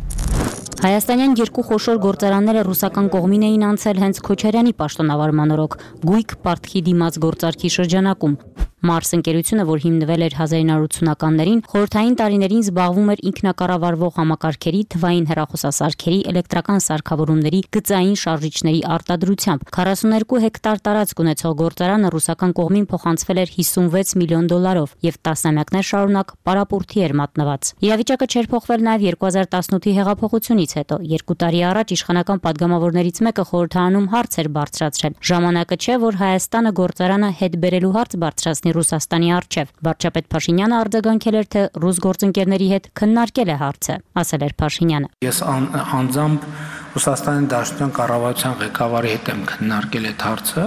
Հայաստանյան երկու խոշոր գործարանները ռուսական կողմին էին անցել հենց Քոչարյանի պաշտոնավարման օրոք Գույք Պարտքի դիմաց գործարքի շրջանակում։ Մարս ընկերությունը, որ հիմնվել էր հազար իննսուն ությաններին, խորհրդային տարիներին զբաղվում էր ինքնակառավարվող համակարգերի, թվային հեռախոսասարքերի, էլեկտրական սարքավորումների, գծային շարժիչների արտադրությամբ։ քառասուններկու հեկտար տարածք ունեցող գործարանը ռուսական կողմին փոխանցվել էր հիսունվեց միլիոն դոլարով եւ տասնամյակներ շարունակ պարապուրդի էր մատնված։ Իրավիճակը չէր փոխվել նաեւ երկու հազար տասնութի հեղափոխությունից հետո։ Երկու տարի առաջ իշխանական падգամավորներից մեկը խորհրդարանում հարց էր բարձրացրել։ Ժամանակը չէ, որ Հայաստանը գործարանը հետ բերելու հարց բարձրացնի Ռուսաստանի առջև։ Վարչապետ Փաշինյանը արձագանքել էր, թե ռուս գործընկերների հետ քննարկել է հարցը, ասել էր Փաշինյանը։ Ես անձամբ Ռուսաստանի Դաշնության կառավարության ղեկավարի հետ եմ քննարկել այդ հարցը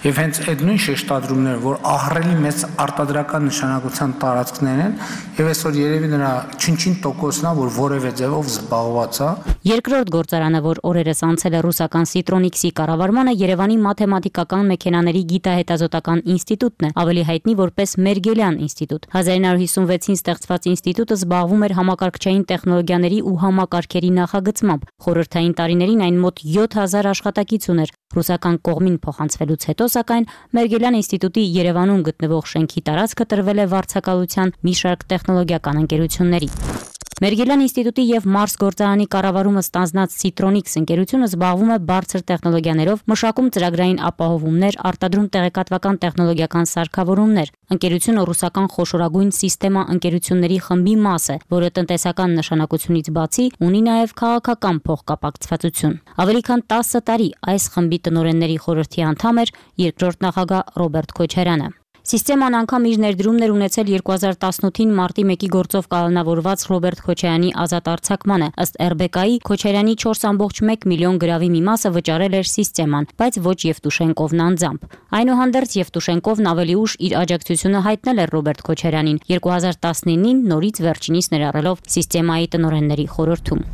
եւ հենց այդ նույն շեշտադրումները, որ ահռելի մեծ արտադրական նշանակության տարածքներ են եւ այսօր երևի նրա չնչին տոկոսն է, որ որևէ ձևով զբաղված է։ Երկրորդ գործարանը, որ օրերս անցել է ռուսական Citronics-ի կառավարմանը, Երևանի մաթեմատիկական մեքենաների գիտահետազոտական ինստիտուտն է, ավելի հայտնի որպես Մերգելյան ինստիտուտ։ հազար իննսուն հիսունվեցին ստեղծված ինստիտուտը զբաղվում էր համակարգչային տեխնոլոգիաների ու համակարգերի նախագծմամբ։ Խորհրդային տարիներին այն մոտ յոթ հազար աշխատակից ուներ։ Ռուսական կողմին փոխանցվելուց հետո, սակայն Մերգելյան ինստիտուտի Երևանում գտնվող շենքի տարածքը տրվել է վարձակալության մի շարք տեխնոլոգիական ընկերությունների։ Մերգելյան ինստիտուտի եւ Մարս գործարանի կառավարումը ստանձնած Citronics ընկերությունը զբաղվում է բարձր տեխնոլոգիաներով, մշակում ծրագրային ապահովումներ, արտադրում տեղեկատվական տեխնոլոգիական սարքավորումներ։ Ընկերությունը ռուսական խոշորագույն սիստեմա ընկերությունների խմբի մաս է, որը տնտեսական նշանակությունից բացի ունի նաեւ քաղաքական փոխկապակցվածություն։ Ավելի քան տասը տարի այս խմբի տնօրենների խորհրդի անդամ էր երկրորդ նախագահ Ռոբերտ Քոչարյանը։ Սիստեման անգամ իր ներդրումներ ունեցել երկու հազար տասնութին մարտի մեկի գործով կանոնավորված Ռոբերտ Քոչարյանի ազատ արձակմանը։ Ըստ эр բի կա-ի Քոչարյանի չորս կόμma մեկ միլիոն գրավի մի մասը վճարել էր սիստեման, բայց ոչ Եվտուշենկովն անձամբ։ Այնուհանդերձ Եվտուշենկովն ավելի ուշ իր աջակցությունը հայտնել էր Ռոբերտ Քոչարյանին երկու հազար տասնինին նորից վերջինիս ներառելով սիստեմայի տնօրենների խորհրդում։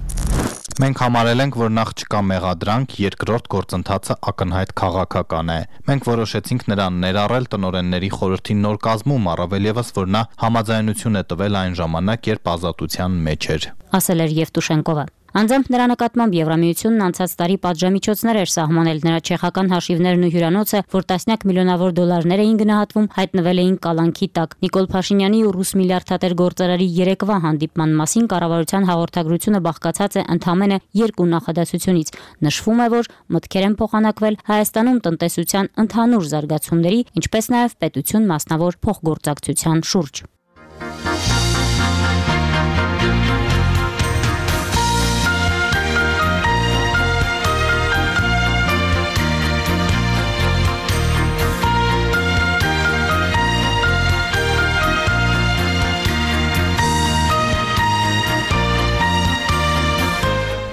Մենք համարել ենք, որ նախ չկա մեղադրանք, երկրորդ գործընթացը ակնհայտ քաղաքական է։ Մենք որոշեցինք նրան ներառել տնօրենների խորհրդի նոր կազմում, առավել ևս, որ նա համաձայնություն է տվել այն ժամանակ, երբ ազատության մեջ էր, ասել էր Եվտուշենկովը։ Անձամբ նրա նկատմամբ Եվրամիությունն անցած տարի պատժամիջոցներ էր սահմանել, նրա չեխական հաշիվներն ու հյուրանոցը, որ տասնյակ միլիոնավոր դոլարներ էին գնահատվում, հայտնվել էին կալանքի տակ։ Նիկոլ Փաշինյանի ու ռուս միլիարդատեր գործարարի երեկվա հանդիպման մասին կառավարության հաղորդագրությունը բաղկացած է ընդամենը երկու նախադասությունից։ Նշվում է, որ մտքեր են փոխանակվել Հայաստանում տնտեսության ընդհանուր զարգացումների, ինչպես նաև պետություն մասնավոր փոխգործակցության շուրջ։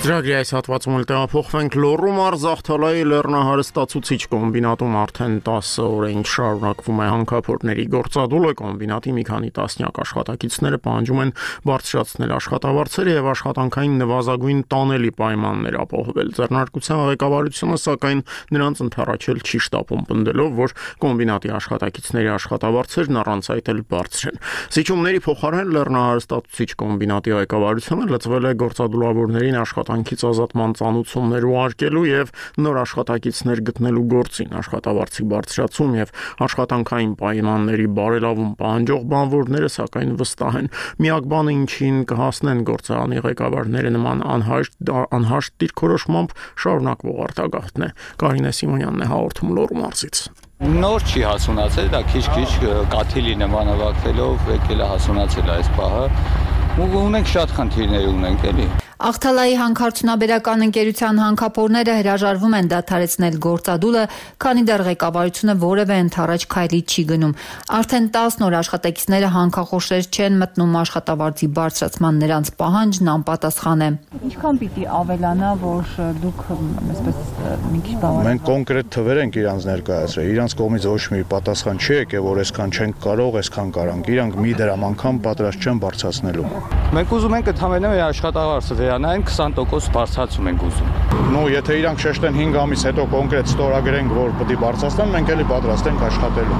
Ծրագրի այս հատվածում էլ տեղափոխվենք Լոռու մարզ Զախթալայի լեռնահարստացուցիչ կոմբինատում արդեն տասը օր է ինչ շարունակվում է հանքափորների գործադուլը։ Կոմբինատի մի քանի տասնյակ աշխատակիցները պահանջում են բարձրացնել աշխատավարձերը եւ աշխատանքային նվազագույն տանելի պայմաններ ապահովել։ Ձեռնարկության ղեկավարությունը սակայն նրանց ընդառաջել չի շտապում, պնդելով, որ կոմբինատի աշխատակիցների աշխատավարձերն առանց այդ էլ բարձր են։ Զիջումների փոխարեն լեռնահարստացուցիչ կոմբինատի ղեկավարությունը լծվել է գործադուլավորներին աշխատանքից ազատման ծանուցումներ ուղարկելու եւ նոր աշխատակիցներ գտնելու գործին։ Աշխատավարձի բարձրացում եւ աշխատանքային պայմանների բարելավում պահանջող բանվորները սակայն վստահ են։ Միակ բանը, ինչին կհասնեն գործարանի ղեկավարները, նման անհաշտ անհաշտ դիրքորոշմամբ շարունակվող արտագաղթն է։ Կարինե Սիմոնյանն է հաղորդում Լոռու մարզից։ Նոր չի հասունացել, դա քիչ-քիչ կաթիլի նմանավակվելով եկել է հասունացել այս պահը։ Ու ունենք շատ խնդիրներ ունենք էլի։ Աղթալայի հանքարդյունաբերական ընկերության հանքափորները հրաժարվում են դադարեցնել գործադուլը, քանի դեռ ղեկավարությունը որևէ ընդառաջ քայլի չի գնում։ Արդեն տասն օր աշխատակիցները հանքախոշեր չեն մտնում, աշխատավարձի բարձրացման նրանց պահանջն անպատասխան է։ Ինչքան պիտի ավելանա, որ դուք այսպես մի քիչ բավարար։ Մենք կոնկրետ թվեր ենք իրանց ներկայացրել։ Իրանց կողմից ոչ մի պատասխան չի եկել, որ այսքան չենք կարող, այսքան կարանք։ Իրանք մի դրամ անգամ պատրաստ չեն բարձրացնելու։ Մենք ուզում ենք ընդհանրապես աշխատավարձը վերանային քսան տոկոս բարձրացում ենք ուզում։ Ну, եթե իրանք շեշտեն հինգ ամիս հետո կոնկրետ ստորագրենք, որ պետք է բարձրացնեն, մենք էլի պատրաստ ենք աշխատելու։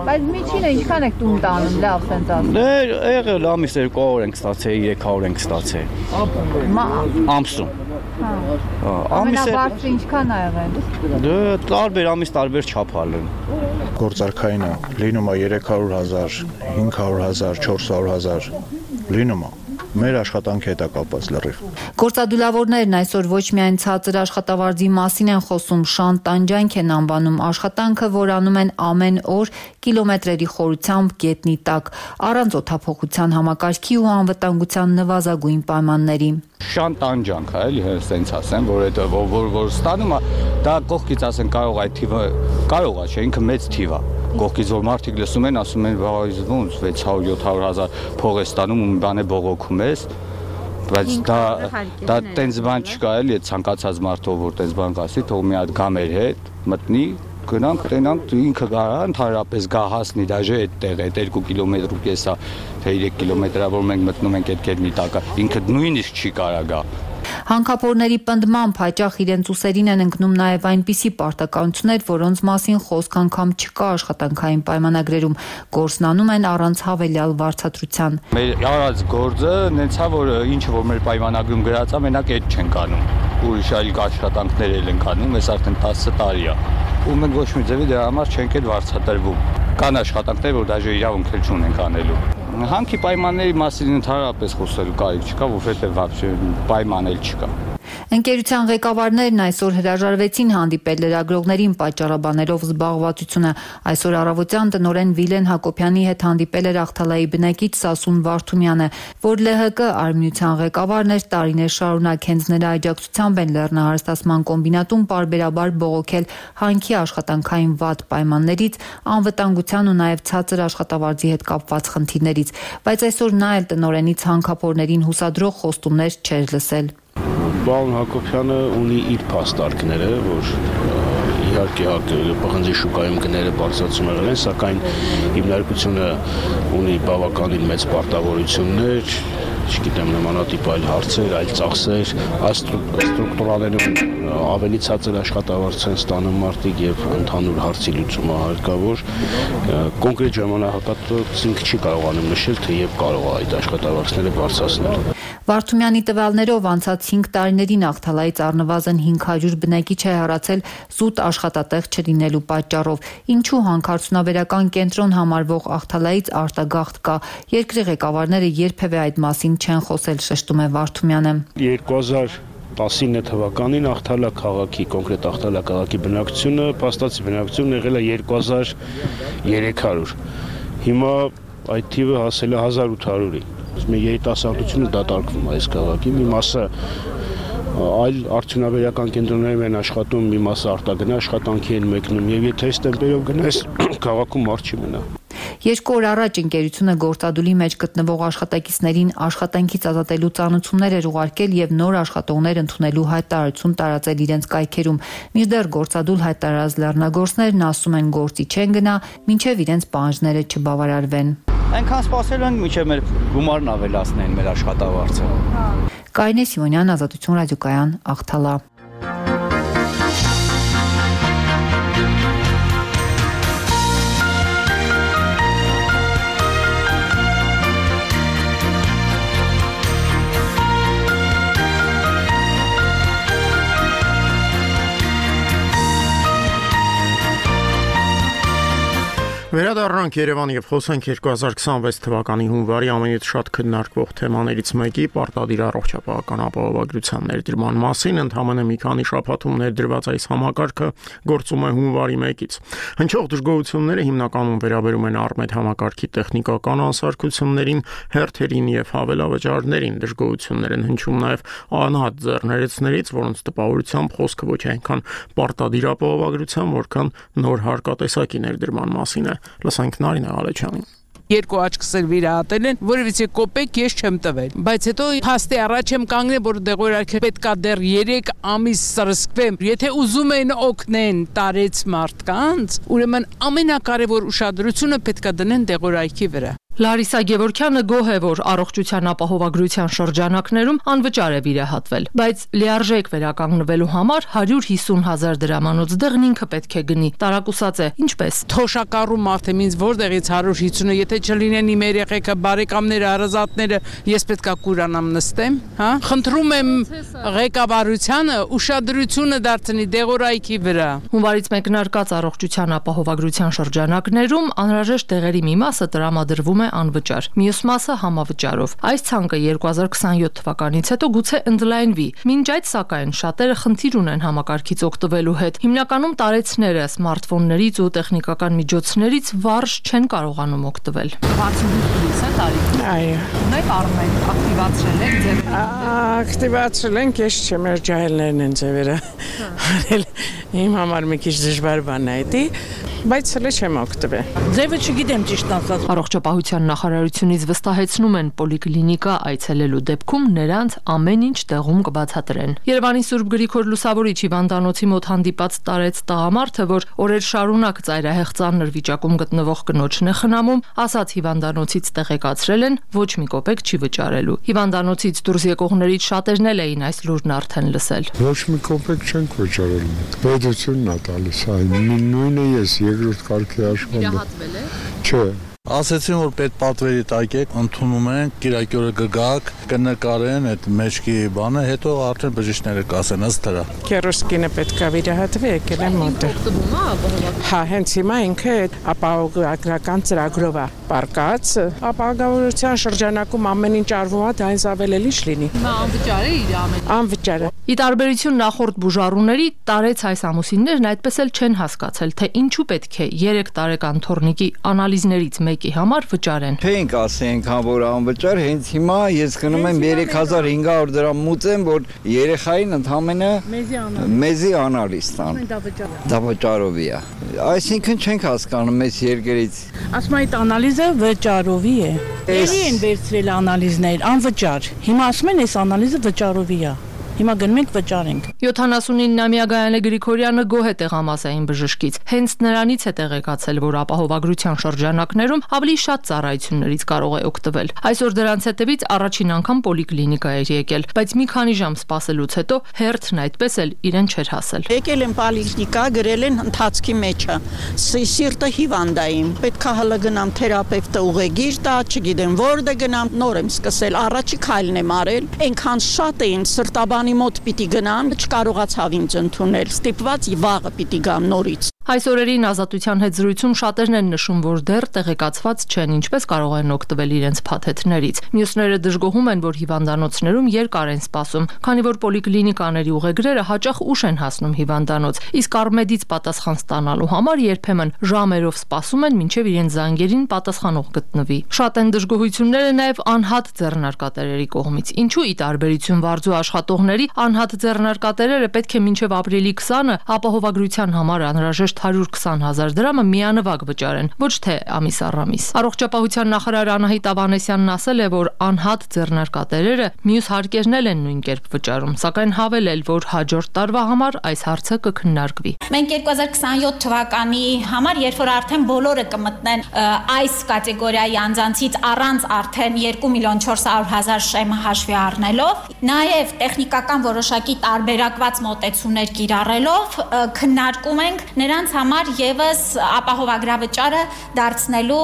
Բայց միջինը ինչքան եք տուն տանում, լավ sense ասում։ Դե եղել ամիս երկու օր ենք ստացել, երեք օր ենք ստացել։ Ամսում։ Հա։ Ամենաբարձրը ինչքան ա եղել։ Դե տարբեր ամիս տարբեր չափալ են։ Գործարքայինը լինում է երեք հարյուր հազար, հինգ հարյուր հազար, չորս հարյուր հազար լինում է։ Մեր աշխատանքի հետ է կապված լրիվ։ Գործադուլավորներն այսօր ոչ միայն ցածր աշխատավարձի մասին են խոսում, շան տանջանք են անվանում աշխատանքը, որ անում են ամեն օր կիլոմետրերի խորությամբ գետնի տակ, առանց օդափոխության համակարգի ու անվտանգության նվազագույն պայմանների։ Շան տանջանք է, էլի հենց sense ասեմ, որ այդ որ որ ստանում է, դա կողքից ասեն կարող այդ թիվը կարող է, չէ, ինքը մեծ թիվ է։ Կողքից որ մարդիկ լսում են, ասում են, վայ, ոնց վեց հարյուր յոթ հարյուր հազար փող է ստանում ու մի բան է բողոքում ես, բայց դա դա տենց բան չկա, էլի այդ ցանկացած մարդով որ տենց բան կասի, թող մի հատ գա մեր հետ, մտնի, գնանք, տենանք, ինքը կարա ընդհանրապես գա հասնի դաժե այդտեղ, այդ երկու կիլոմետր ու կեսա, թե երեք կիլոմետրա, որ մենք մտնում ենք այդ գետնի տակը, ինքը նույնիսկ չի կարա գա։ Հանքափորների պնդմամբ հաճախ իրենց ուսերին են ընկնում նաև այնպիսի պարտականություններ, որոնց մասին խոսք անգամ չկա աշխատանքային պայմանագրերում, գործնանում են առանց հավելյալ վարձատրության։ Մեր արած գործը նենցա, որ ինչը որ մեր պայմանագրում գրած է, մենակ այդ չենք անում։ Ուրիշ այլ աշխատանքներ էլ ենք անում, այս արդեն տասը տարի է։ Ու մենք ոչ մի ձևի դրա համար չենք էլ վարձատրվում։ Կան աշխատանքներ, որ դաժե իրավունք էլ չունենք անելու։ Հանքի պայմանների մասին ընդհանրապես խոսելու կարիք չկա, որովհետև вообще պայման էլ չկա։ Ընկերության ղեկավարներն այսօր հրաժարվեցին հանդիպել լրագրողներին պատճառաբանելով զբաղվածությունը։ Այսօր առավոտյան տնօրեն Վիլեն Հակոբյանի հետ հանդիպել էր Ախթալայի բնակիչ Սասուն Վարդումյանը, որ ԼՀԿ արմինության ղեկավարն էր տարիներ շարունակ, հենց նրա աջակցությամբ են լեռնահարստացման կոմբինատում պարբերաբար բողոքել հանքի աշխատանքային վատ պայմաններից, անվտանգության ու նաև ցածր աշխատավարձի հետ կապված խնդիրներից, բայց այսօր նա էլ տնօրենից հանքափորներին հուսադրող խոստումներ չէր լսել։ Պարոն Հակոբյանը ունի իր փաստարկները, որ իհարկե պղնձի շուկայում գները բարձրացում եղել են, սակայն հիմնարկությունը ունի բավականին մեծ պարտավորություններ, չգիտեմ, նմանատիպ այլ հարցեր, այլ ծախսեր, այս ստրուկտուրաներում ավելի ցածր աշխատավարձ են ստանում մարդիկ եւ ընդհանուր հարցի լուծումը հարկավոր, կոնկրետ ժամանակահատված ինքը չի կարողանում նշել, թե երբ կարող է այդ աշխատավարձները բարձրացնել։ Վարդումյանի տվյալներով անցած հինգ տարիներին Ախթալայից առնվազն հինգ հարյուր բնակիչ է հեռացել զուտ աշխատատեղ չլինելու պատճառով։ Ինչու հանքարդյունաբերական կենտրոն համարվող Ախթալայից արտագաղթ կա։ Երկրի ղեկավարները երբևէ այդ մասին չեն խոսել, շեշտում է Վարդումյանը։ երկու հազար տասինը թվականին Ախթալա քաղաքի, կոնկրետ Ախթալա քաղաքի բնակչությունը, փաստացի բնակչությունը եղել է երկու հազար երեք հարյուր։ Հիմա այդ թիվը հասել է հազար ութ հարյուրի։ Մեր երիտասարդությունը դատարկվում է այս քաղաքի, մի մասը այլ արդյունաբերական կենտրոններում են աշխատում, մի մասը արտագնա աշխատանքի են մեկնում, եւ եթե այս տեմպերով գնաս, քաղաքում մարդ չի մնա։ Երկու օր առաջ ընկերությունը գործադուլի մեջ գտնվող աշխատակիցներին աշխատանքից ազատելու ծանուցումներ էր ուղարկել եւ նոր աշխատողներ ընդունելու հայտարարություն տարածել իրենց կայքերում։ Մինչդեռ գործադուլ հայտարարած լեռնագործներն ասում են գործի չեն գնա, մինչեւ իրենց պահանջները չբավարարվեն։ Այնքան սպասել ենք, մինչև մեր գումարն ավելացնեն մեր աշխատավարձը։ Կարինե Սիմոնյան, Ազատություն ռադիոկայան, Ախթալա։ Վերադառնանք Երևան եւ խոսենք երկու հազար քսանվեց թվականի հունվարի ամենից շատ քննարկվող թեմաներից մեկի պարտադիր առողջապահական ապահովագրության ներդրման մասին։ Ընդամենը մի քանի շաբաթում ներդրված այս համակարգը գործում է հունվարի մեկից։ Հնչող դժգոհությունները հիմնականում վերաբերում են Արմեդ համակարգի տեխնիկական անսարքություններին, հերթերին եւ հավելավճարներին։ Դժգոհություններ են հնչում նաեւ անհատ ձեռներեցներից, որոնց տպավորությամբ խոսքը ոչ այնքան պարտադիր ապահովագրության, որքան նոր հարկատեսակի ներդրման մասին է։ Լսենք Նարինե Ալեչյանին։ Երկու աչքս էլ վիրահատել են, որովհետեւ կոպեկ ես չեմ տվել, բայց հետո փաստի առաջ եմ կանգնել, որ դեղորայքը պետքա դեռ երեք ամիս սրսկվեմ։ Եթե ուզում են օգնեն տարեց մարդկանց, ուրեմն ամենակարևոր ուշադրությունը պետքա դնեն դեղորայքի վրա։ Լարիսա Գևորգյանը գոհ է, որ առողջության ապահովագրության շրջանակներում անվճար է վիրահատվել, բայց լիարժեք վերականգնվելու համար հարյուր հիսուն հազար դրամանոց դեղն ինքը պետք է գնի։ Տարակուսած է, ինչպես։ Թոշակառու մարդ եմ, ինձ որտեղից հարյուր հիսունը, եթե չլինեն իմ երեխեքը, բարեկամները, հարազատները, ես պետքա կուրանամ նստեմ, հա։ Խնդրում եմ ղեկավարությանը ուշադրությունը դարձնի դեղորայքի վրա։ Հունվարից մեկնարկած առողջության ապահովագրության շրջանակներում անհրաժեշտ դեղերի մի մասը տրամադրվում է անվճար, մյուս մասը համավճարով։ Այս ցանկը երկու հազար քսաներորդ թվականից հետո գուցե ընդլայնվի։ Մինչ այդ, սակայն, շատերը խնդիր ունեն համակարգից օգտվելու հետ։ Հիմնականում տարեցները սմարթֆոններից ու տեխնիկական միջոցներից վարժ չեն կարողանում օգտվել։ վաթսունհինգ է տարի։ Այո։ Ունեք առնել, ակտիվացրել եք ձևերը։ Ակտիվացրել ենք, ես չեմ, մեր ջահելներն են ձևերը։ Իմ համար մի քիչ դժվար բան է դա, բայց հələ չեմ օգտվել։ Ձևը չգիտեմ ճիշտ ասած։ Առողջապահության նախարարությունից վստահեցնում են պոլիկլինիկա այցելելու դեպքում նրանց ամեն ինչ տեղում կբացատրեն։ Երևանի Սուրբ Գրիգոր Լուսավորիչ հիվանդանոցի մոտ հանդիպած տարեց տղամարդը, որ օրեր շարունակ ծայրահեղ ծանր վիճակում գտնվող կնոջն է խնամում, ասաց հիվանդանոցից տեղեկացրել են, ոչ մի կոպեկ չի վճարելու։ Հիվանդանոցից դուրս եկողներից շատերն էլ էին այս լուրն արդեն լսել։ Ոչ մի կոպեկ չենք վճարել։ Պետությունն է տալիս, այն նույնը ես երկրորդ կարգի աշխատում։ Վիրահատվել եք։ Չէ։ Ասեցին, որ պետ պատվերի տակ եք, ընդունում են, կիրակի օրը կգաք, կնկարեն այդ մեջքի բանը, հետո արդեն բժիշկները կասեն ըստ դրա։ Քերոսկինը պետքա վիրահատվի, եկել եմ մոտը։ Հա, հենց հիմա ինքը ապահովագրական ծրագրով է պարկած, ապահովագրության շրջանակում ամեն ինչ արվում է, դա այնց ավել էլ ինչ լինի։ Հիմա անվճար է իր ամեն։ Անվճար է։ Ի տարբերություն նախորդ բուժառուների, տարեց այս ամուսիններն այդպես էլ չեն հասկացել, թե ինչու պետք է երեք տարեկան թոռնիկի անալիզներից մեկի համար վճարեն։ Չենք ասենք, հա որ անվճար, հենց հիմա ես գնում եմ երեք հազար հինգ հարյուր դրամ մուծեմ, որ երեխային ընդամենը մեզի անալիզ տան։ Դա վճարովի է։ Այսինքն չենք հասկանում այս երկրից։ Ասում այդ անալիզը վճարովի է։ Էլի են վերցրել անալիզներ, անվճար։ Հիմա ասում են այս անալիզը վճարովի է։ Հիմա գնում ենք վճարենք։ յոթանասունիննամյա Գայանե Գրիգորյանը գոհ է տեղամասային բժշկից։ Հենց նրանից է տեղեկացել, որ ապահովագրության շրջանակներում ավելի շատ ծառայություններից կարող է օգտվել։ Այսօր դրանց հետևից առաջին անգամ պոլիկլինիկա էր եկել, բայց մի քանի ժամ սպասելուց հետո հերթն այդպես էլ իրեն չէր հասել։ Եկել եմ պոլիկլինիկա, գրել են ընթացքի մեջը։ Սիրտը հիվանդ է իմ։ Պետք է հələ գնամ թերապևտը ուղեգիր տա, չգիտեմ որտե գնամ, նոր եմ սկսել, առաջի քայլն եմ արել։ Այնքան շատ էին սրտաբան մոտ պիտի գնամ, չկարողացավ ինձ ընդունել, ստիպված վաղը պիտի գամ նորից։ Այս օրերին Ազատության հետ զրույցում շատերն են նշում, որ դեռ տեղեկացված չեն ինչպես կարող են օգտվել իրենց փաթեթներից։ Մյուսները դժգոհում են, որ հիվանդանոցներում երկար են սպասում, քանի որ պոլիկլինիկաների ուղեգրերը հաճախ ուշ են հասնում հիվանդանոց, իսկ Արմեդից պատասխան ստանալու համար երբեմն ժամերով սպասում են, մինչև իրենց զանգերին պատասխանող գտնվի։ Շատ են դժգոհությունները նաև անհատ ձեռնարկատերերի կողմից։ Ինչու ի տարբերություն վարձու աշխատողների, անհատ ձեռնարկատերերը պետք է մինչև ապրիլի քսանը ապահովագրության համար անհրաժեշտ հարյուր քսան հազար դրամը միանվագ վճարեն, ոչ թե ամիս առ ամիս։ Առողջապահության նախարար Անահիտ Ավանեսյանն ասել է, որ անհատ ձեռնարկատերերը մյուս հարկերն են նույն կերպ վճարում, սակայն հավելել, որ հաջորդ տարվա համար այս հարցը կքննարկվի։ Մենք երկու հազար քսաներորդ թվականի համար, երբ որ արդեն բոլորը կմտնեն այս կատեգորիայի անձանցից առանց արդեն երկու միլիոն չորս հարյուր հազար շեմը հաշվի առնելով, նաև տեխնիկական որոշակի տարբերակված մոտեցումներ կիրառելով քննարկում ենք նրանց համար եւս ապահովագրավճարը դարձնելու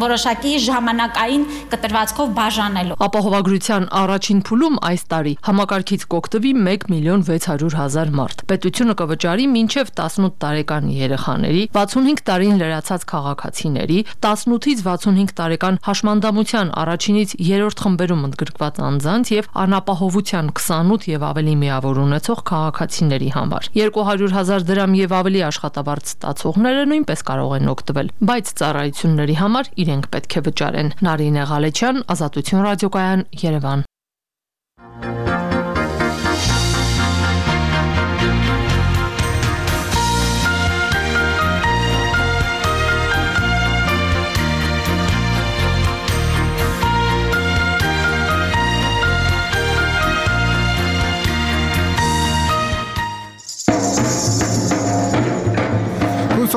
որոշակի ժամանակային կտրվածքով բաժանելու։ Ապահովագրության առաջին փուլում այս տարի համակարգից կօգտվի մեկ միլիոն վեց հարյուր հազար մարդ։ Պետությունը կվճարի մինչև տասնութ տարեկան երեխաների, վաթսունհինգ տարին լրացած քաղաքացիների, տասնութից վաթսունհինգ տարեկան հաշմանդամության առաջինից երրորդ խմբերում ընդգրկված անձանց եւ անապահովության քսանութ եւ ավելի միավոր ունեցող քաղաքացիների համար։ երկու հարյուր հազար դրամ եւ ավելի աշխատավարձ ստացողները նույնպես կարող են օգտվել, բայց ծառայությունների համար իրենք պետք է վճարեն։ Նարինե Ղալեչյան, Ազատություն ռադիոկայան, Երևան։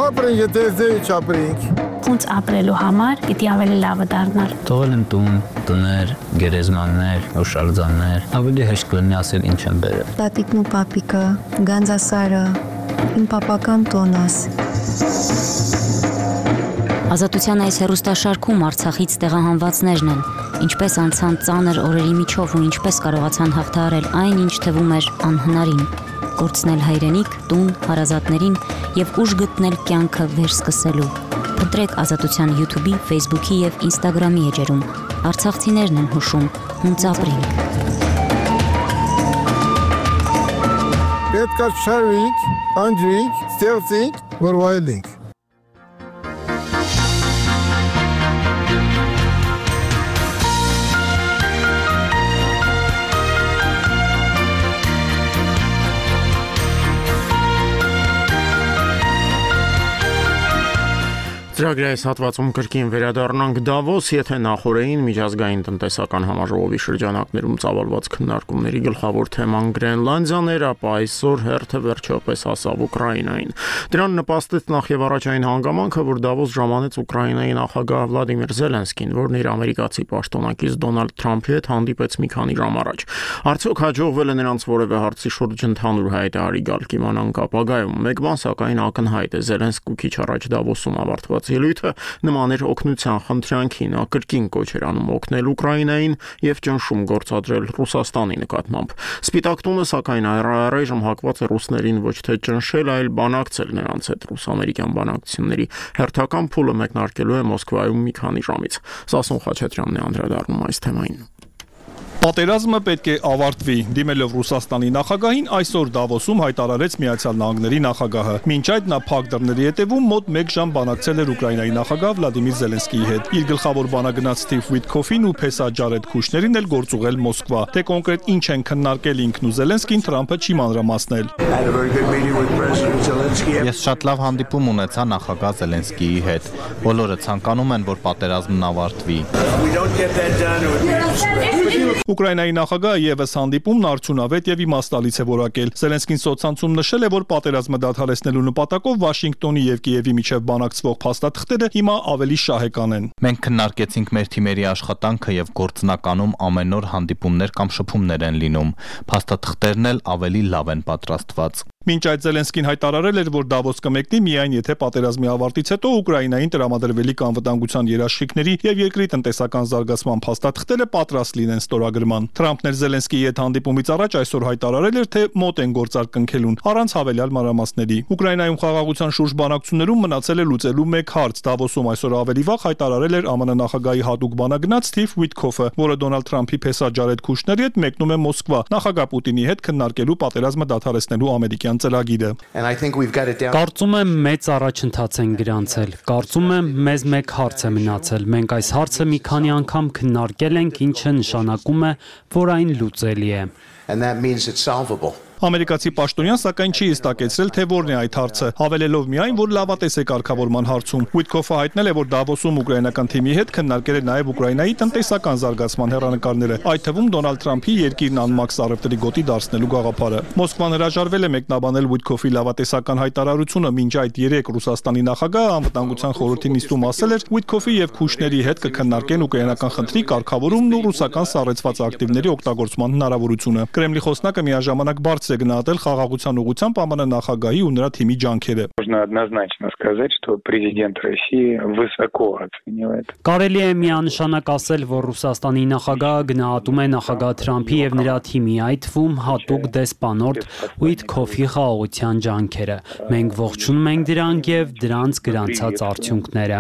Ապրենք, եթե ձեի չապրենք, իրավունց ապրելու համար պիտի ավելի լավը դառնար։ Թողել են տուն, տներ, գերեզմաններ, հուշարձաններ, ավելի հեշտ կլինի ասել ինչ են բերել։ Տատիկն ու պապիկը, Գանձասարը, իմ պապական տոնս։ Ազատության այս հեռուստաշարքում Արցախից տեղահանվածներն են, ինչպես անցան ծանր օրերի միջով ու ինչպես կարողացան հաղթահարել այն, ինչ թվում էր անհնարին, կորցնել հայրենիք, տուն, հարազատներին եւ ուժ գտնել կյանքը վերսկսելու։ Ընտրեք Ազատության YouTube-ի, Facebook-ի եւ Instagram-ի էջերում։ Արցախցիներն են հուշում, հունց ապրենք։ Պետք է շարվենք, անջրենք, ստեղծենք, որ վայելենք։ Ծրագրի այս հատվածում կրկին վերադառնանք Դավոս, եթե նախորդին միջազգային տնտեսական համաժողովի շրջանակներում ծավալված քննարկումների գլխավոր թեման Գրենլանդիան էր, ապա այսօր հերթը վերջապես հասավ Ուկրաինային։ Դրան նպաստեց նախ եւ առաջ այն հանգամանքը, որ Դավոս ժամանեց Ուկրաինայի նախագահ Վլադիմիր Զելենսկին, որն իր ամերիկացի պաշտոնակից Դոնալդ Թրամփի հետ հանդիպեց մի քանի ժամ առաջ։ Արդյոք հաջողվել է նրանց որևէ հարցի շուրջ ընդհանուր հայտարարի գալ կիմանանք ապագայում։ Մեկ բան սակայն ակնհայտ է, Զելենսկու քիչ առաջ Դավոսում ավարտված ելույթը նման էր օգնության խնդրանքին, ակրկին կոչ էր անում օգնել Ուկրաինային եւ ճնշում գործադրել Ռուսաստանի նկատմամբ։ Սպիտակ տունը սակայն առայժմ հակված է ռուսներին ոչ թե ճնշել, այլ բանակցել նրանց հետ։ Ռուս-ամերիկյան բանակցությունների հերթական փուլը մեկնարկելու է Մոսկվայում մի քանի ժամից։ Սասուն Խաչատրյանն է անդրադառնում այս թեմային։ Պատերազմը պետք է ավարտվի։ Դիմելով Ռուսաստանի նախագահին այսօր Դավոսում հայտարարեց Միացյալ Նահանգների նախագահը։ Մինչ այդ նա փակ դռների հետևում մոտ մեկ ժամ բանակցել էր Ուկրաինայի նախագահ Վլադիմիր Զելենսկիի հետ։ Իր գլխավոր բանագնաց Սթիվ Վիտկոֆին ու փեսա Ջարեդ Քուշներին էլ գործուղել Մոսկվա։ Թե կոնկրետ ինչ են քննարկել ինքն ու Զելենսկին, Թրամփը չի մանրամասնել։ Ես շատ լավ հանդիպում ունեցա նախագահ Զելենսկիի հետ։ Բոլորը ցանկանում են, որ պատերազմն ավարտվի։ Ուկրաինայի նախագահը եւս հանդիպումն արդյունավետ եւ իմաստալից է որակել։ Զելենսկին սոցցանցում նշել է, որ պատերազմը դադարեցնելու նպատակով Վաշինգտոնի եւ Կիևի միջև բանակցվող փաստաթղթերը հիմա ավելի շահեկան են։ Մենք քննարկեցինք մեր թիմերի աշխատանքը եւ գործնականում ամեն օր հանդիպումներ կամ շփումներ են լինում։ Փաստաթղթերն էլ ավելի լավ են պատրաստված։ Մինչ այդ Զելենսկին հայտարարել էր, որ Դավոս կմեկնի միայն եթե պատերազմի ավարտից հետո Ուկրաինային տրամադրվելիք անվտանգության երաշխիքների եւ երկրի տնտեսական զարգացման փաստաթղթերը պատրաստ լինեն ստորագրման։ Թրամփն էր Զելենսկիի հետ հանդիպումից առաջ այսօր հայտարարել էր, թե մոտ են գործարկնքելուն առանց հավելյալ մանրամասների։ Ուկրաինայում խաղաղության շուրջ բանակցություններում մնացել է լուծելու մեկ հարց։ Դավոսում այսօր ավելի վաղ հայտարարել էր ԱՄՆ նախագահի հատուկ բանագնաց Սթիվ Վիտկոֆը, որը Դոնալդ Թրամփի փեսա Ջարեդ Քուշների հետ մեկնում է Մոսկվա նախագահ Պուտինի հետ քննարկելու պատերազմը դադարեցնելու ամերիկյան ծրագիրը։ Կարծում եմ մեծ առաջընթաց են գրանցել։ Կարծում եմ մեզ մեկ հարց է մնացել։ Մենք այս հարցը մի քանի անգամ քննարկել ենք, ինչը նշանակում է, որ այն լուծելի է։ Ամերիկացի պաշտոնյան սակայն չի հստակեցրել, թե որն է այդ հարցը, հավելելով միայն, որ լավատես է կարգավորման հարցում։ Վիտկոֆը հայտնել է, որ Դավոսում ուկրաինական թիմի հետ քննարկել է նաև Ուկրաինայի տնտեսական զարգացման հեռանկարները, այդ թվում Դոնալդ Թրամփի երկիրն անմաքս առևտրի գոտի դարձնելու գաղափարը։ Մոսկվան հրաժարվել է մեկնաբանել Վիտկոֆի լավատեսական հայտարարությունը, մինչ այդ երեք Ռուսաստանի նախագահը անվտանգության խորհրդի նիստում ասել էր, Վիտկոֆի եւ Քուշների հետ կքննարկեն ուկրաինական խնդրի կարգավորումն ու ռուսական սառեցված ակտիվների օգտագործման հնարավորությունը։ Կրեմլի խոսնակը միաժամանակ բարձր է գնահատել խաղաղության ուղղությամբ ԱՄՆ նախագահի ու նրա թիմի ջանքերը։ Կարելի է միանշանակ ասել, որ Ռուսաստանի նախագահը գնահատում է նախագահ Թրամփի եւ նրա թիմի, այդ թվում հատուկ դեսպանորդ Վիտկոֆի խաղաղության ջանքերը։ Մենք ողջունում ենք դրանք եւ դրանց գրանցած արդյունքները։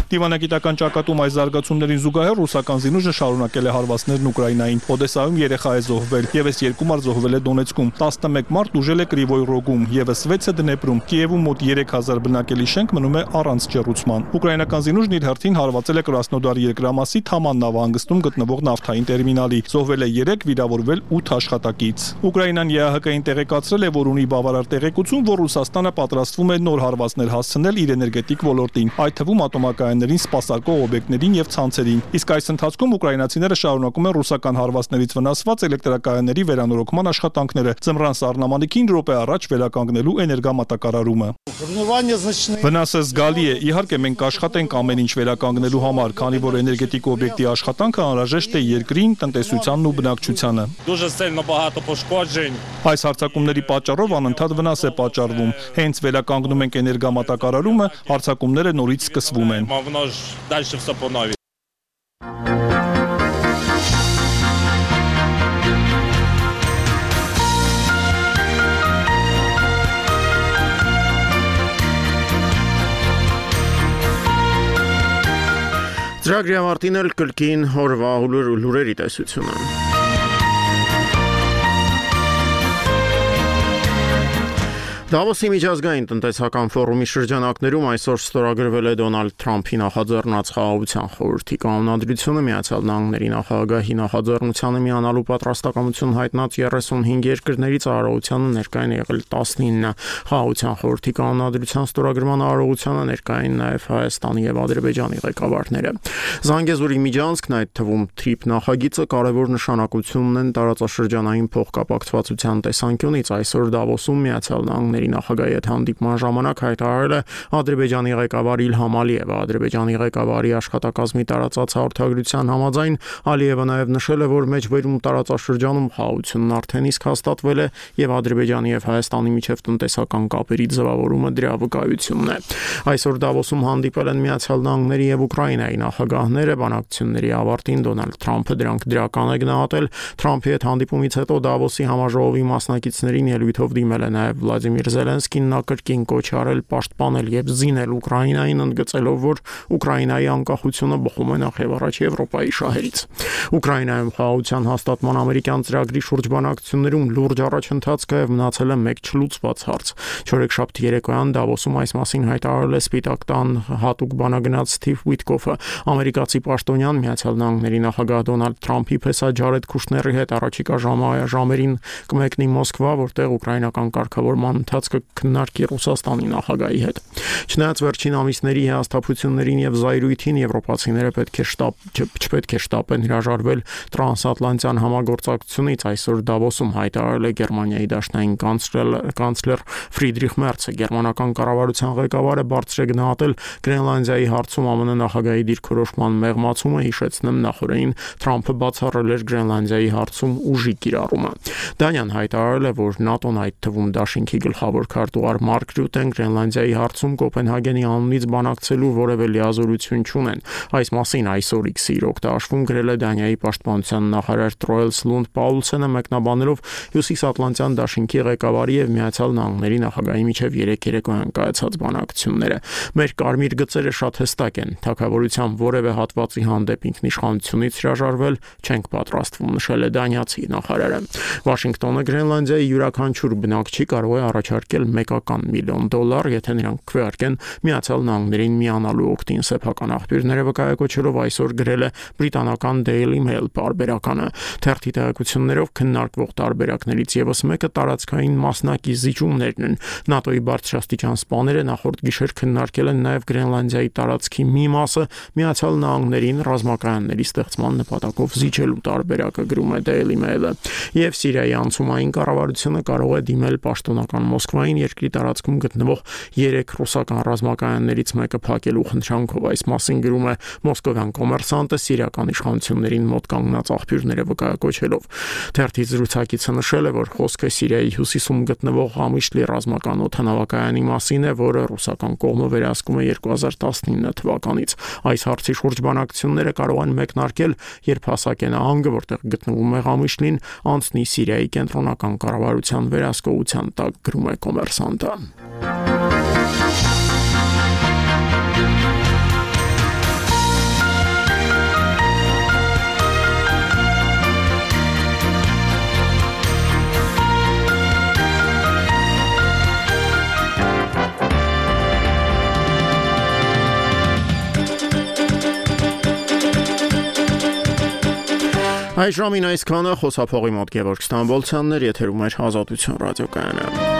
Դիվանագիտական ճակատում այս զարգացումներին զուգահեռ ռուսական զինուժը շարունակել է հարվածներն Ուկրաինային։ Օդեսայում երեխա է զոհվել, եւս երկու մարդ զոհվել է Դոնեցկում, տասնմեկ մարդ ուժել է Կրիվոյ Ռոգում, եւս վեցը Դնեպրում։ Կիևում մոտ երեք հազար բնակելի շենք մնում է առանց ջեռուցման։ Ուկրաինական զինուժն իր հերթին հարվածել է Կրասնոդար երկրամասի Թաման նավահանգստում գտնվող նավթային տերմինալի։ Զոհվել է երեք, վիրավորվել ութ աշխատակից։ Ուկրաինան ԵԱՀԿ-ին տեղեկացրել է, որ ունի բավարար տեղեկություն, որ Ռուսաստանը պատրաստվում է նոր հարվածներ հասցնել իրեն էներգետիկ ոլորտին, այդ թվում ատոմակայաններին սպասարկող օբյեկտներին եւ ցանցերին։ Իսկ այս ընթացքում ուկրաինացիները շարունակում են ռուսական հարվածներից վնասված էլեկտրակայանների վերանորոգման աշխատանքները, ձմռան սառնամանիքին րոպե առաջ վերականգնելու էներգամատակարարումը։ Վնասը զգալի է, իհարկե մենք կաշխատենք ամեն ինչ վերականգնելու համար, քանի որ էներգետիկ օբյեկտի աշխատանքը անհրաժեշտ է երկրին, տնտեսությանն ու բնակչությանը։ Այս հարձակումների պատճառով անընդհատ վնաս է պատճառվում։ Հենց վերականգնում ենք էներգամատակարարումը, հարձակումները նորից սկսվում են։ Ծրագրի ավարտին էլ կրկին օրվա լուրերի տեսությունը։ Դավոսի միջազգային տնտեսական ֆորումի շրջանակներում այսօր ստորագրվել է Դոնալդ Թրամփի նախաձեռնած խաղաղության խորհրդի կանոնադրությունը Միացյալ Նահանգների նախագահի նախաձեռնությանը միանալու պատրաստակամություն հայտնած երեսունհինգ երկրներից արարողությանը ներկային եղել տասնինը։ Խաղաղության խորհրդի կանոնադրության ստորագրման արարողությանը ներկային նաև Հայաստանի եւ Ադրբեջանի ղեկավարները։ Զանգեզուրի միջանցքն, այդ թվում թրիփ նախագիծը կարևոր նշանակություն ունեն տարածաշրջանային փոխկապակցվածության տեսանկյունից։ Այսօր Դավոսում Միացյալ Նահանգների նախագահի հետ հանդիպման ժամանակ հայտարարել է Ադրբեջանի ղեկավար Իլհամ Ալիևը։ Ադրբեջանի ղեկավարի աշխատակազմի տարածած հաղորդագրության համաձայն Ալիևը նաև նշել է, որ մեջբերում տարածաշրջանում խաղաղությունն արդեն իսկ հաստատվել է եւ Ադրբեջանի եւ Հայաստանի միջև տնտեսական կապերի ձևավորումը դրա վկայությունն է։ Այսօր Դավոսում հանդիպել են Միացյալ Նահանգների եւ Ուկրաինայի նախագահները։ Բանակցությունների ավարտին Դոնալդ Թրամփը դրանք դրական է գնահատել։ Թրամփի հետ հանդիպումից հետո Դավոսի համաժողովի մասնակիցներին ելույթով դիմել է նաև Վլադիմիր Զելենսկին, նա կրկին կոչ արել պաշտպանել եւ զինել Ուկրաինային, ընդգծելով, որ Ուկրաինայի անկախությունը բխում է նախ եւ առաջ Եվրոպայի շահերից։ Ուկրաինայում խաղաղության հաստատման ամերիկյան ծրագրի շուրջ բանակցություններում լուրջ առաջընթաց կա եւ մնացել է մեկ չլուծված հարց։ Չորեքշաբթի երեկոյան Դավոսում այս մասին հայտարարել է Սպիտակ տան հատուկ բանագնաց Սթիվ Ուիտկոֆը։ Ամերիկացի պաշտոնյան Միացյալ Նահանգների նախագահ Դոնալդ Թրամփի փեսա Ջարեդ Քուշների հետ առաջիկա ժամերին կմեկնի Մոսկվա, որտեղ ուկրաինական կարգավորման ընթացքը քննարկի Ռուսաստանի նախագահի հետ։ Չնայած վերջին ամիսների հիասթափություններին եւ զայրույթին եվրոպացիները պետք է շտապ չպետք է շտապեն հրաժարվել տրանսատլանտյան համագործակցությունից, այսօր Դավոսում հայտարարել է Գերմանիայի դաշնային կանցլեր Ֆրիդրիխ Մերցը։ Գերմանական կառավարության ղեկավարը բարձր է գնահատել Գրենլանդիայի հարցում ԱՄՆ նախագահի դիրքորոշման մեղմացումը, հիշեցնեմ նախորդին Թրամփը բացառել էր Գրենլանդիայի հարցում ուժի կիրառումը։ Դանիան հայտարարել է, որ ՆԱՏՕ-ն, այդ թվում Դաշինքի գլխավոր քարտուղար Մարկ Ռյուտեն, Գրենլանդիայի հարցում Կոպենհագենի անունից բանակցելու որևէ լիազորություն չունեն։ Այս մասին այսօր X-ի օգտաշվում գրել է Դանիայի պաշտպանության նախարար Տրոելս Լունդ Պաուլսենը, մեկնաբանելով Հյուսիսատլանտյան Դաշինքի ղեկավարի եւ Միացյալ Նահանգների նախագահի միջև երեք երեկոյան կայացած բանակցությունները։ Մեր կարմիր գծերը շատ հստակ են։ Թագավորության որևէ հատվածի հանդեպ ինքնիշխանությունից հրաժարվել չենք պատրաստվում, նշել է դանիացի նախարարը։ Վաշինգտոնը Գրենլանդիայի յուրաքանչյուր բնակչի կարող է առաջարկել մեկական միլիոն դոլար, եթե նրանք քվեարկեն Միացյալ Նահանգներին միանալու օգտին։ Սեփական աղբյուրները վկայակոչելով այսօր գրել է բրիտանական Daily Mail պարբերականը։ Թերթի տեղեկություններով քննարկվող տարբերակներից եւս մեկը տարածքային մասնակի զիջումներն են։ ՆԱՏՕ-ի բարձրաստիճան սպաները նախորդ գիշեր քննարկել են նաեւ Գրենլանդիայի տարածքի մի մասը Միացյալ Նահանգներին ռազմակայանների ստեղծման նպատակով զիջելու տարբերակը, գրում է Daily Mail-ը։ Եվ Սիրիայի անցումային կառավարությունը կարող է դիմել պաշտոնական Մոսկվային երկրի տարածքում գտնվող երեք ռուսական ռազմակայաններից մեկը փակելու խնդրանքով։ Այս մասին գրում է Մոսկովյան կոմերսանտը սիրիական իշխանություններին մոտ կանգնած աղբյուրները վկայակոչելով։ Թերթի զրուցակիցը նշել է, որ խոսքը Սիրիայի հյուսիսում գտնվող Ղամիշլի ռազմական օդանավակայանի մասին է, որը ռուսական կողմը վերահսկում է երկու հազար տասնինը թվականից։ Այս հարցի շուրջ բանակցությունները կարող են մեկնարկել, երբ հասակե նահանգը, որտեղ գտնվում է Ղամիշլին, անցնի Սիրիայի կենտրոնական կառավարության վերահսկողության տակ, գրում է կոմերսանտը։ Այս ժամին այսքանը, խոսափողի մոտ Գևորգ Ստամբոլցյանն էր, եթերում էր Ազատություն ռադիոկայանը։